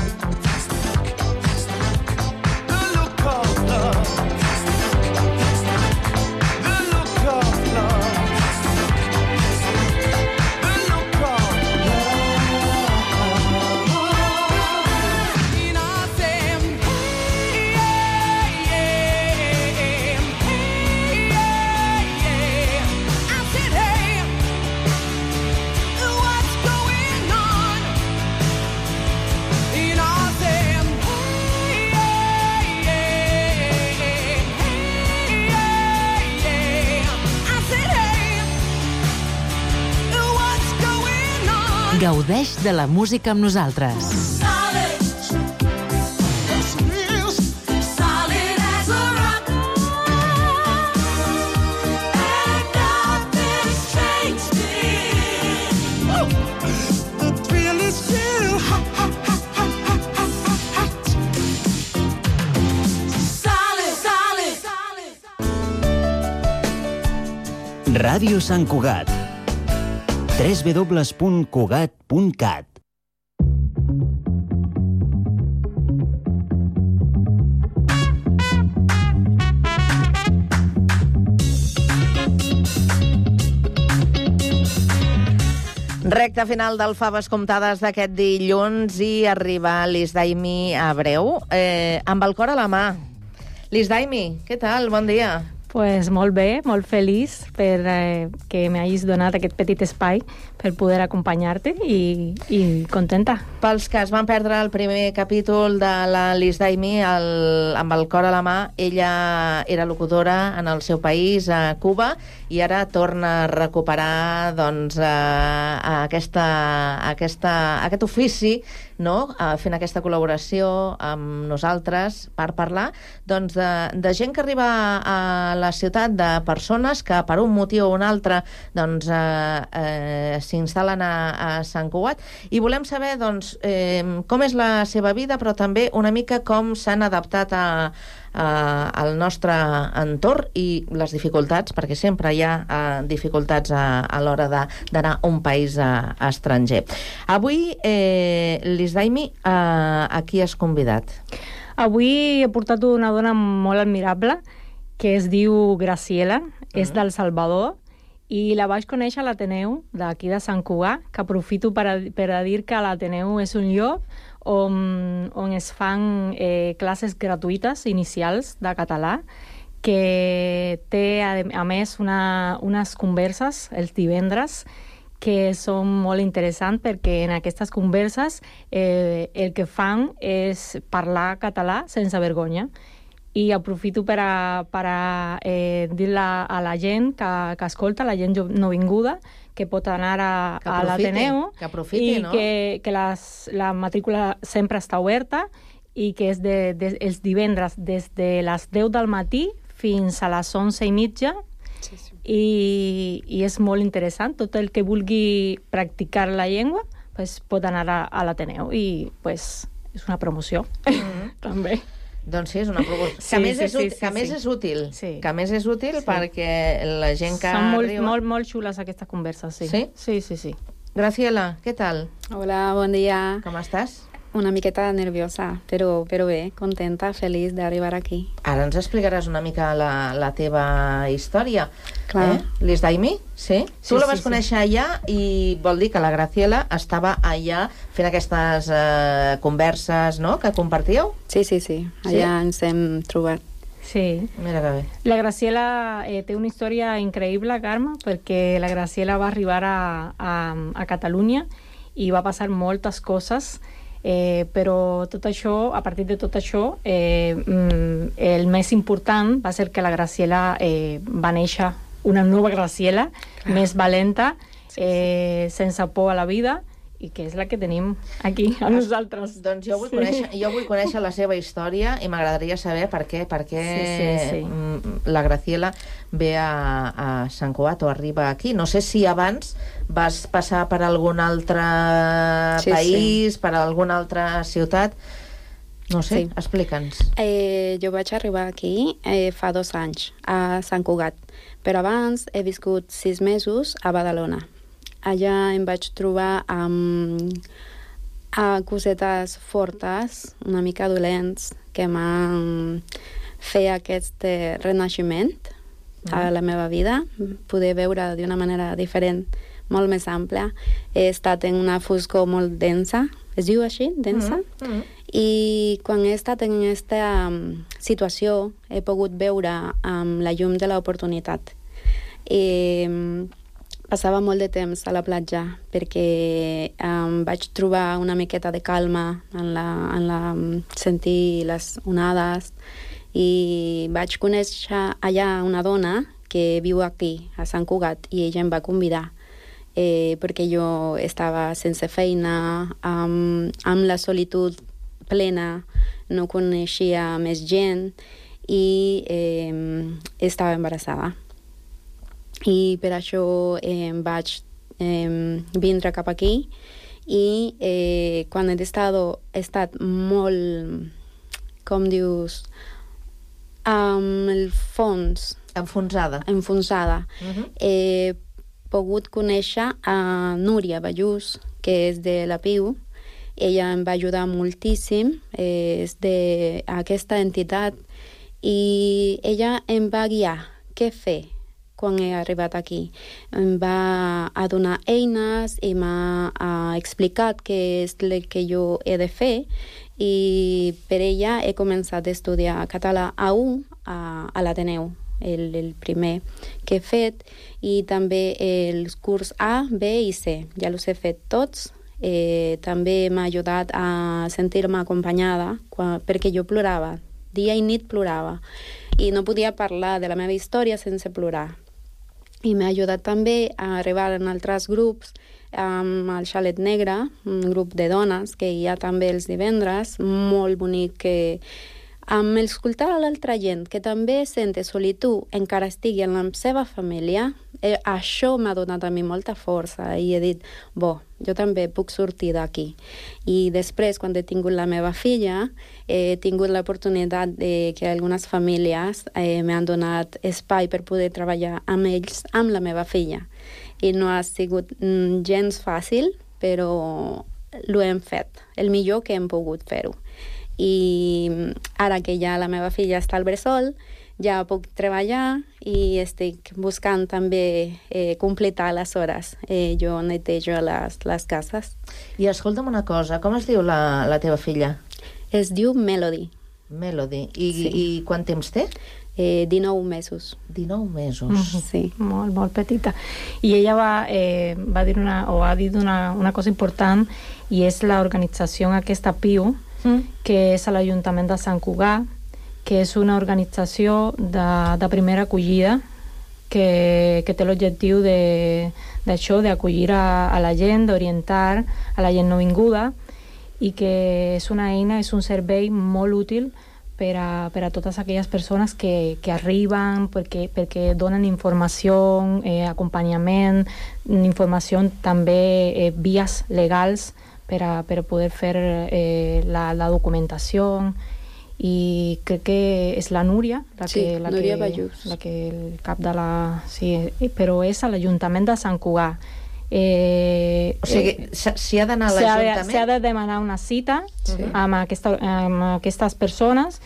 Gaudeix de la música amb nosaltres. Ràdio Sant Cugat. w w w punt cugat punt cat. Recta final del Faves Comptades d'aquest dilluns i arriba l'Isdaimi Abreu eh, amb el cor a la mà. L'Isdaimi, què tal? Bon dia. Pues molt bé, molt feliç per eh, que m'hagis donat aquest petit espai per poder acompanyar-te i, i contenta. Pels que es van perdre el primer capítol de la Liz Daimi, el, amb el cor a la mà, ella era locutora en el seu país, a Cuba, i ara torna a recuperar doncs, a aquesta, aquesta, aquest ofici, no? Fent aquesta col·laboració amb nosaltres per parlar doncs, de, de gent que arriba a la ciutat, de persones que per un motiu o un altre doncs, eh, eh, s'instal·len a, a Sant Cugat, i volem saber doncs, eh, com és la seva vida, però també una mica com s'han adaptat a, a, al nostre entorn i les dificultats, perquè sempre hi ha eh, dificultats a, a l'hora d'anar a un país a, a estranger. Avui, eh, Liz Daimi, eh, a qui has convidat? Avui he portat una dona molt admirable que es diu Graciela, mm. és del Salvador, i la vaig conèixer a l'Ateneu d'aquí de Sant Cugat, que aprofito per a, per a dir que l'Ateneu és un lloc on, on es fan eh, classes gratuïtes inicials de català, que té, a, a més, una, unes converses els divendres que són molt interessants, perquè en aquestes converses eh, el que fan és parlar català sense vergonya. I aprofito per a, per a eh, dir-la a la gent que, que escolta, la gent nouvinguda, que pot anar a, a l'Ateneu que aprofiti, i no? que, que les, la matrícula sempre està oberta i que és de, de, els divendres des de les deu del matí fins a les onze i mitja. Sí, sí. I, i és molt interessant. Tot el que vulgui practicar la llengua pues, pot anar a, a l'Ateneu i pues, és una promoció. Mm-hmm. També. Doncs sí, és una promoció. Sí, que més, sí, és, sí, útil, sí, que més sí. és útil. Sí. Que més és útil sí. perquè la gent que Són molt, arriba... molt, molt xules aquestes converses, sí. Sí? Sí, sí, sí. Graciela, què tal? Hola, bon dia. Com estàs? Una miqueta nerviosa, però, però bé, contenta, feliç d'arribar aquí. Ara ens explicaràs una mica la, la teva història. Clar. Eh? Liz Daimi, sí? Sí, tu la vas sí, conèixer sí. allà i vol dir que la Graciela estava allà fent aquestes eh, converses, no?, que compartíeu? Sí, sí, sí. Allà sí? ens hem trobat. Sí. Mira que bé. La Graciela eh, té una història increïble, Carme, perquè la Graciela va arribar a, a, a Catalunya i va passar moltes coses. Eh, però tot això, a partir de tot això, eh, el més important va ser que la Graciela eh, va néixer una nova Graciela, clar, més valenta, eh, sense por a la vida, i que és la que tenim aquí, a nosaltres. Doncs jo vull, sí. conèixer, jo vull conèixer la seva història i m'agradaria saber per què, per què sí, sí, sí. la Graciela ve a, a Sant Cugat o arriba aquí. No sé si abans vas passar per algun altre sí, país, sí. per alguna altra ciutat. No sé, sí. explica'ns. Eh, jo vaig arribar aquí eh, fa dos anys, a Sant Cugat, però abans he viscut sis mesos a Badalona. Allà em vaig trobar amb a cosetes fortes, una mica dolents, que m'han fet aquest renaixement mm. a la meva vida, poder veure d'una manera diferent, molt més àmplia. He estat en una foscor molt densa, es diu així, densa? Mm. Mm. I quan he estat en aquesta um, situació he pogut veure um, la llum de l'oportunitat. I um, passava molt de temps a la platja perquè um, vaig trobar una miqueta de calma en la, en la um, sentir les onades i vaig conèixer allà una dona que viu aquí, a Sant Cugat, i ella em va convidar eh, perquè jo estava sense feina, um, amb la solitud plena, no coneixia més gent i eh, estava embarassada. I per això eh, vaig eh, vindre cap aquí i eh, quan he estat, he estat molt, com dius, amb el fons... Enfonsada. Enfonsada. Uh-huh. He pogut conèixer a Núria Ballús, que és de la P I U. Ella em va ajudar moltíssim, eh, és d'aquesta entitat, i ella em va guiar què fer quan he arribat aquí. Em va a donar eines i m'ha explicat què és el que jo he de fer, i per ella he començat a estudiar català A u a, a l'Ateneu, el, el primer que he fet, i també els curs A, B i C. Ja els he fet tots. Eh, també m'ha ajudat a sentir-me acompanyada, quan, perquè jo plorava. Dia i nit plorava. I no podia parlar de la meva història sense plorar. I m'ha ajudat també a arribar en altres grups, amb el Xalet Negre, un grup de dones que hi ha també els divendres, molt bonic, que amb escoltar a l'altra gent que també sente solitud, encara estigui en la seva família, eh, això m'ha donat a mi molta força i he dit, bo, jo també puc sortir d'aquí. I després, quan he tingut la meva filla, he tingut l'oportunitat de que algunes famílies eh, m'han donat espai per poder treballar amb ells, amb la meva filla. I no ha sigut mm, gens fàcil, però ho hem fet, el millor que hem pogut fer-ho. I ara que ja la meva filla està al bressol, ja puc treballar i estic buscant també eh, completar les hores. Eh, jo netejo les, les cases. I escolta'm una cosa, com es diu la, la teva filla? Es diu Melody. Melody. I, sí. I quant temps té? Eh, dinou mesos. dinou mesos. Mm-hmm. Sí, molt, molt petita. I ella va, eh, va dir una, o ha dit una, una cosa important, i és l'organització aquesta P I U, mm. que és a l'Ajuntament de Sant Cugat, que és una organització de, de primera acollida que, que té l'objectiu d'això, d'acollir a, a la gent, d'orientar a la gent nouvinguda, i que és una eina, és un servei molt útil per a, per a totes aquelles persones que, que arriben, perquè, perquè donen informació, eh, acompanyament, informació també, eh, vies legals per a, per a poder fer eh, la, la documentació. I crec que és la Núria, la sí, que, la Núria que, Ballús. la que el cap de la... Sí, però és a l'Ajuntament de Sant Cugat. Eh, o sigui, s'hi ha d'anar a l'Ajuntament? S'ha de demanar una cita sí. amb, aquesta, amb aquestes persones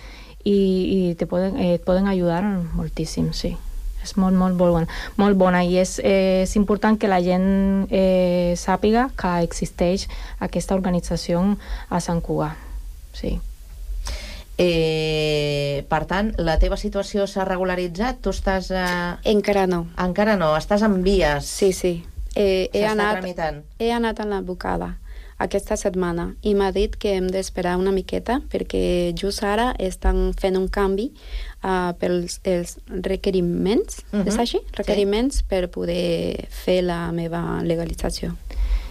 i, i te poden, eh, et poden ajudar moltíssim, sí. És molt, molt, molt bona. Molt bona i és, eh, és important que la gent eh, sàpiga que existeix aquesta organització a Sant Cugat. Sí. Eh, per tant, la teva situació s'ha regularitzat? Tu estàs... Eh... Encara no. Encara no, estàs en vies. Sí, sí. Eh, he, anat, tramitant. he anat a l'advocada aquesta setmana i m'ha dit que hem d'esperar una miqueta perquè just ara estan fent un canvi uh, pels els requeriments, uh-huh. és així? Requeriments sí. per poder fer la meva legalització.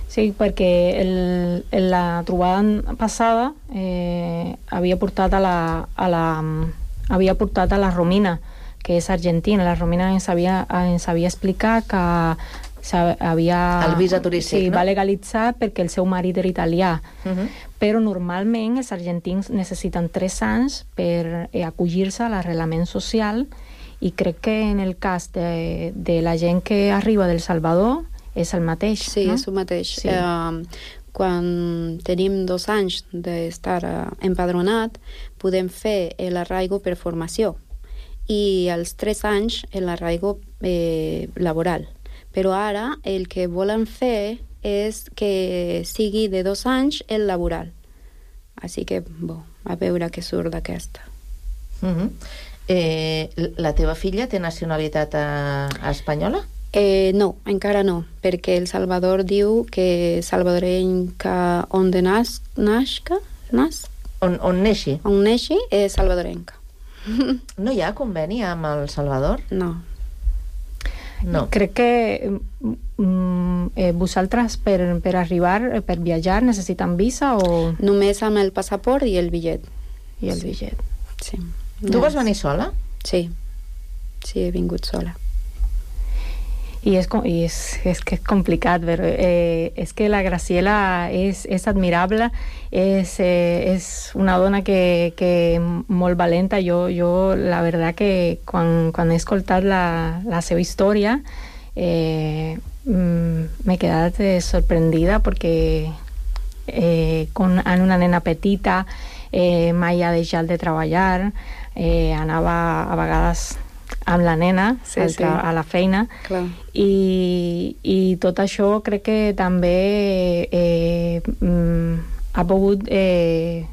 Sí, perquè el, la trobada passada eh, havia portat a la, a la havia portat a la Romina, que és argentina. La Romina ens havia, ens havia explicat que havia, el visa turístic, sí, no? va legalitzar perquè el seu marit era italià. Uh-huh. Però normalment els argentins necessiten tres anys per eh, acollir-se a l'arrelament social, i crec que en el cas de, de la gent que arriba del Salvador és el mateix, sí, no? és el mateix. Sí. Uh, quan tenim dos anys d'estar uh, empadronat, podem fer l'arraigo per formació i als tres anys l'arraigo eh, laboral. Però ara el que volen fer és que sigui de dos anys el laboral. Així que, bo, a veure què surt d'aquesta. Uh-huh. eh, la teva filla té nacionalitat eh, espanyola? Eh, no, encara no, perquè El Salvador diu que salvadorenca on de nas, nasca, nas? On, on neixi? On neixi és salvadorenca. No hi ha conveni amb El Salvador? No. No. Crec que mm, eh, vosaltres per, per arribar, per viatjar, necessiten visa o...? Només amb el passaport i el bitllet. I el sí. bitllet. Sí. Tu no. vas venir sola? Sí. Sí, he vingut sola. I és, i és, és que és complicat, però eh, és que la Graciela és, és admirable, és, eh, és una dona que, que molt valenta. Jo, jo la veritat que quan, quan he escoltat la, la seva història eh, m'he quedat eh, sorprendida perquè eh, con, en una nena petita eh, mai ha deixat de treballar, eh, anava a vegades amb la nena sí, sí. a la feina. Clar. I, i tot això crec que també eh, mm, ha pogut eh,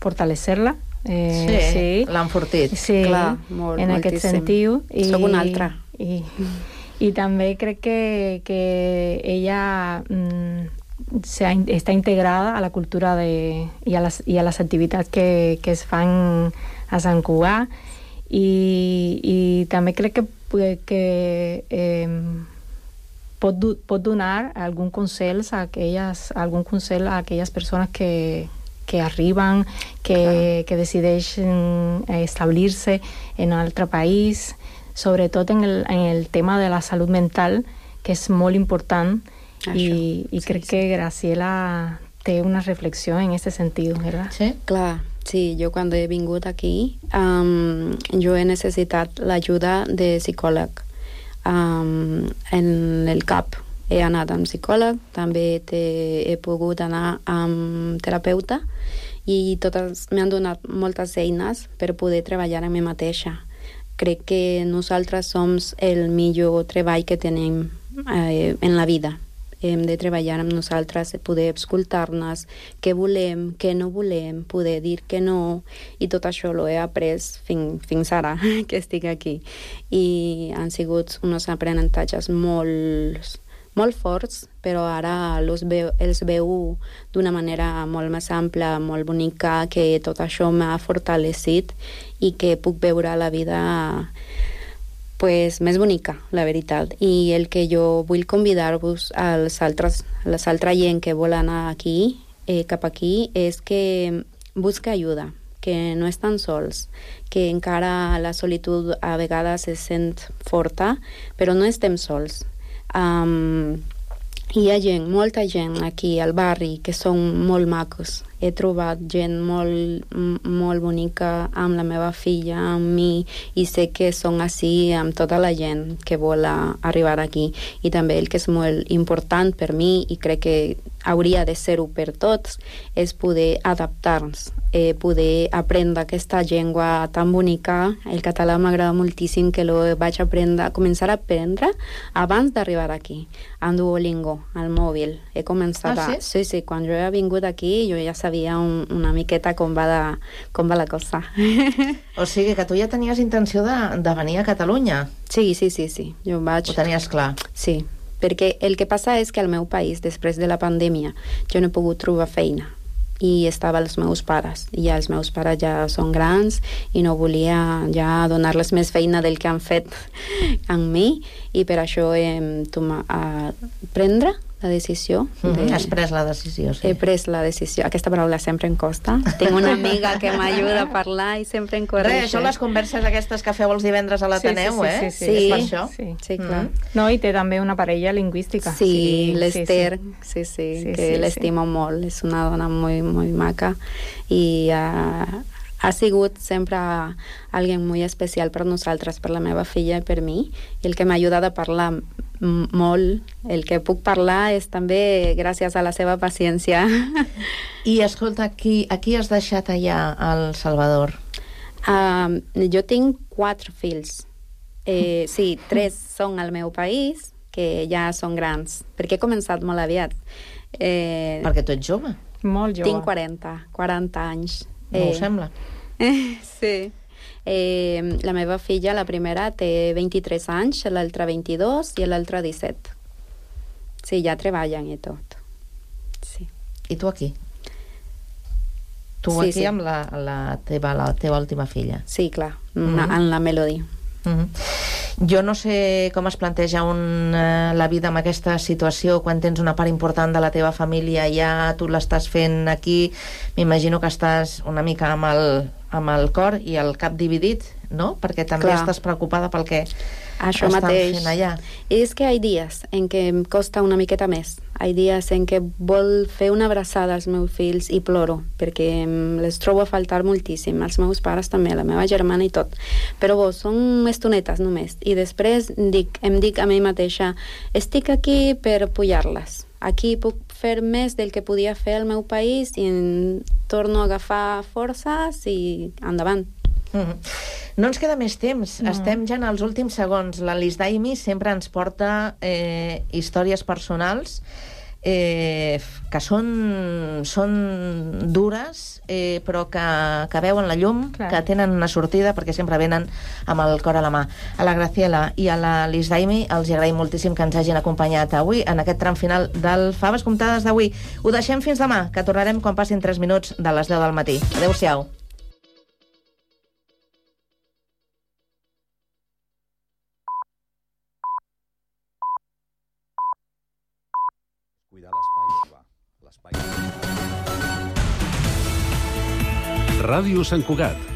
fortalecer-la Eh, sí, sí. l'ha enfortit. Sí, Clar, molt, en moltíssim. aquest sentit. I, Soc una altra. I, i també crec que, que ella mm, se ha, està integrada a la cultura de, i, a les, i a les activitats que, que es fan a Sant Cugat, i, i també crec que, que eh, pot, pot donar algun consell a aquelles, algun consell a aquelles persones que, que arriben, que, que decideixen establir-se en un altre país, sobretot en el, en el tema de la salut mental, que és molt important. Això, i, i sí, crec sí. que Graciela té una reflexió en aquest sentit, ¿verdad? Sí, clar. Sí, jo quan he vingut aquí um, jo he necessitat l'ajuda de psicòleg. Um, en el C A P he anat amb psicòleg, també he pogut anar amb terapeuta, i totes m'han donat moltes eines per poder treballar amb mi mateixa. Crec que nosaltres som el millor treball que tenim eh, en la vida. Hem de treballar amb nosaltres, poder escoltar-nos, què volem, què no volem, poder dir que no, i tot això ho he après fin, fins ara que estic aquí. I han sigut uns aprenentatges molt, molt forts, però ara els veu, els veu d'una manera molt més ampla, molt bonica, que tot això m'ha fortalecit i que puc veure la vida pues, més bonica, la veritat. I el que jo vull convidar-vos als altres, a les altres gent que vol anar aquí, eh, cap aquí, és que busca ajuda, que no estan sols, que encara la solitud a vegades se sent forta, però no estem sols. Um, hi ha gent, molta gent aquí al barri que són molt macos. He trobat gent molt, molt bonica amb la meva filla, amb mi, i sé que són així amb tota la gent que vol arribar aquí. I també el que és molt important per mi, i crec que hauria de ser-ho per tots, és poder adaptar-nos, eh, poder aprendre aquesta llengua tan bonica. El català m'agrada moltíssim, que lo vaig aprendre, començar a aprendre abans d'arribar aquí, amb Duolingo, al mòbil. He començat ah, a... sí? Sí, sí, quan jo he vingut aquí, jo ja sabia un, una miqueta com va, de, com va la cosa. O sigui que tu ja tenies intenció de, de venir a Catalunya? Sí, sí, sí, sí. Jo vaig... Ho tenies clar? Sí, perquè el que passa és que al meu país, després de la pandèmia, jo no he pogut trobar feina, i estava els meus pares, i ja els meus pares ja són grans i no volia ja donar-les més feina del que han fet amb mi, i per això hem tomat prendre la decisió. Mm-hmm. De... Has pres la decisió, sí. He pres la decisió. Aquesta paraula sempre em costa. Tinc una amiga que m'ajuda a parlar i sempre em corregeix. Res, són les converses aquestes que feu els divendres a l'Ateneu, sí, sí, eh? Sí, sí, sí. És per això? Sí, sí, clar. Mm. No, i té també una parella lingüística. Sí, sí, l'Ester, sí, sí, sí, sí, que sí, l'estimo sí. molt. És una dona molt, molt maca, i uh, ha sigut sempre alguien molt especial per nosaltres, per la meva filla i per mi, i el que m'ha ajudat a parlar molt, el que puc parlar és també gràcies a la seva paciència. I escolta, qui, a qui has deixat allà al Salvador? Uh, jo tinc quatre fills. Eh, sí, tres són al meu país, que ja són grans, perquè he començat molt aviat. Eh, perquè tu ets jove? Molt jove. Tinc quaranta, quaranta anys. No eh, ho sembla. Eh, sí. Eh, la meva filla, la primera, té vint-i-tres anys, l'altra vint-i-dos i l'altra disset. Sí, ja treballen i tot. Sí. I tu aquí? Tu sí, aquí sí. amb la, la, teva, la teva última filla? Sí, clar, mm-hmm. en la Melody. Mm-hmm. Jo no sé com es planteja un, eh, la vida amb aquesta situació quan tens una part important de la teva família ja, tu l'estàs fent aquí, m'imagino que estàs una mica amb el, amb el cor i el cap dividit, no? Perquè també Clar. estàs preocupada pel que Això estan mateix. fent allà. És que hi ha dies en què em costa una miqueta més. Hi ha dies en què vol fer una abraçada als meus fills i ploro, perquè les trobo a faltar moltíssim, als meus pares també, a la meva germana i tot. Però bo, són estonetes només. I després dic, em dic a mi mateixa, estic aquí per apoyar-les. Aquí puc fer més del que podia fer al meu país i torno a agafar forces i endavant. Mm-hmm. No ens queda més temps, no. Estem ja en els últims segons. La Liz Daimi sempre ens porta eh, històries personals eh, que són, són dures, eh, però que, que veuen la llum, Clar. que tenen una sortida, perquè sempre venen amb el cor a la mà. A la Graciela i a la Liz Daimi els agraïm moltíssim que ens hagin acompanyat avui en aquest tram final del Faves Comptades d'avui. Ho deixem fins demà, que tornarem quan passin tres minuts de les deu del matí. Adéu-siau. Ràdio Sant Cugat.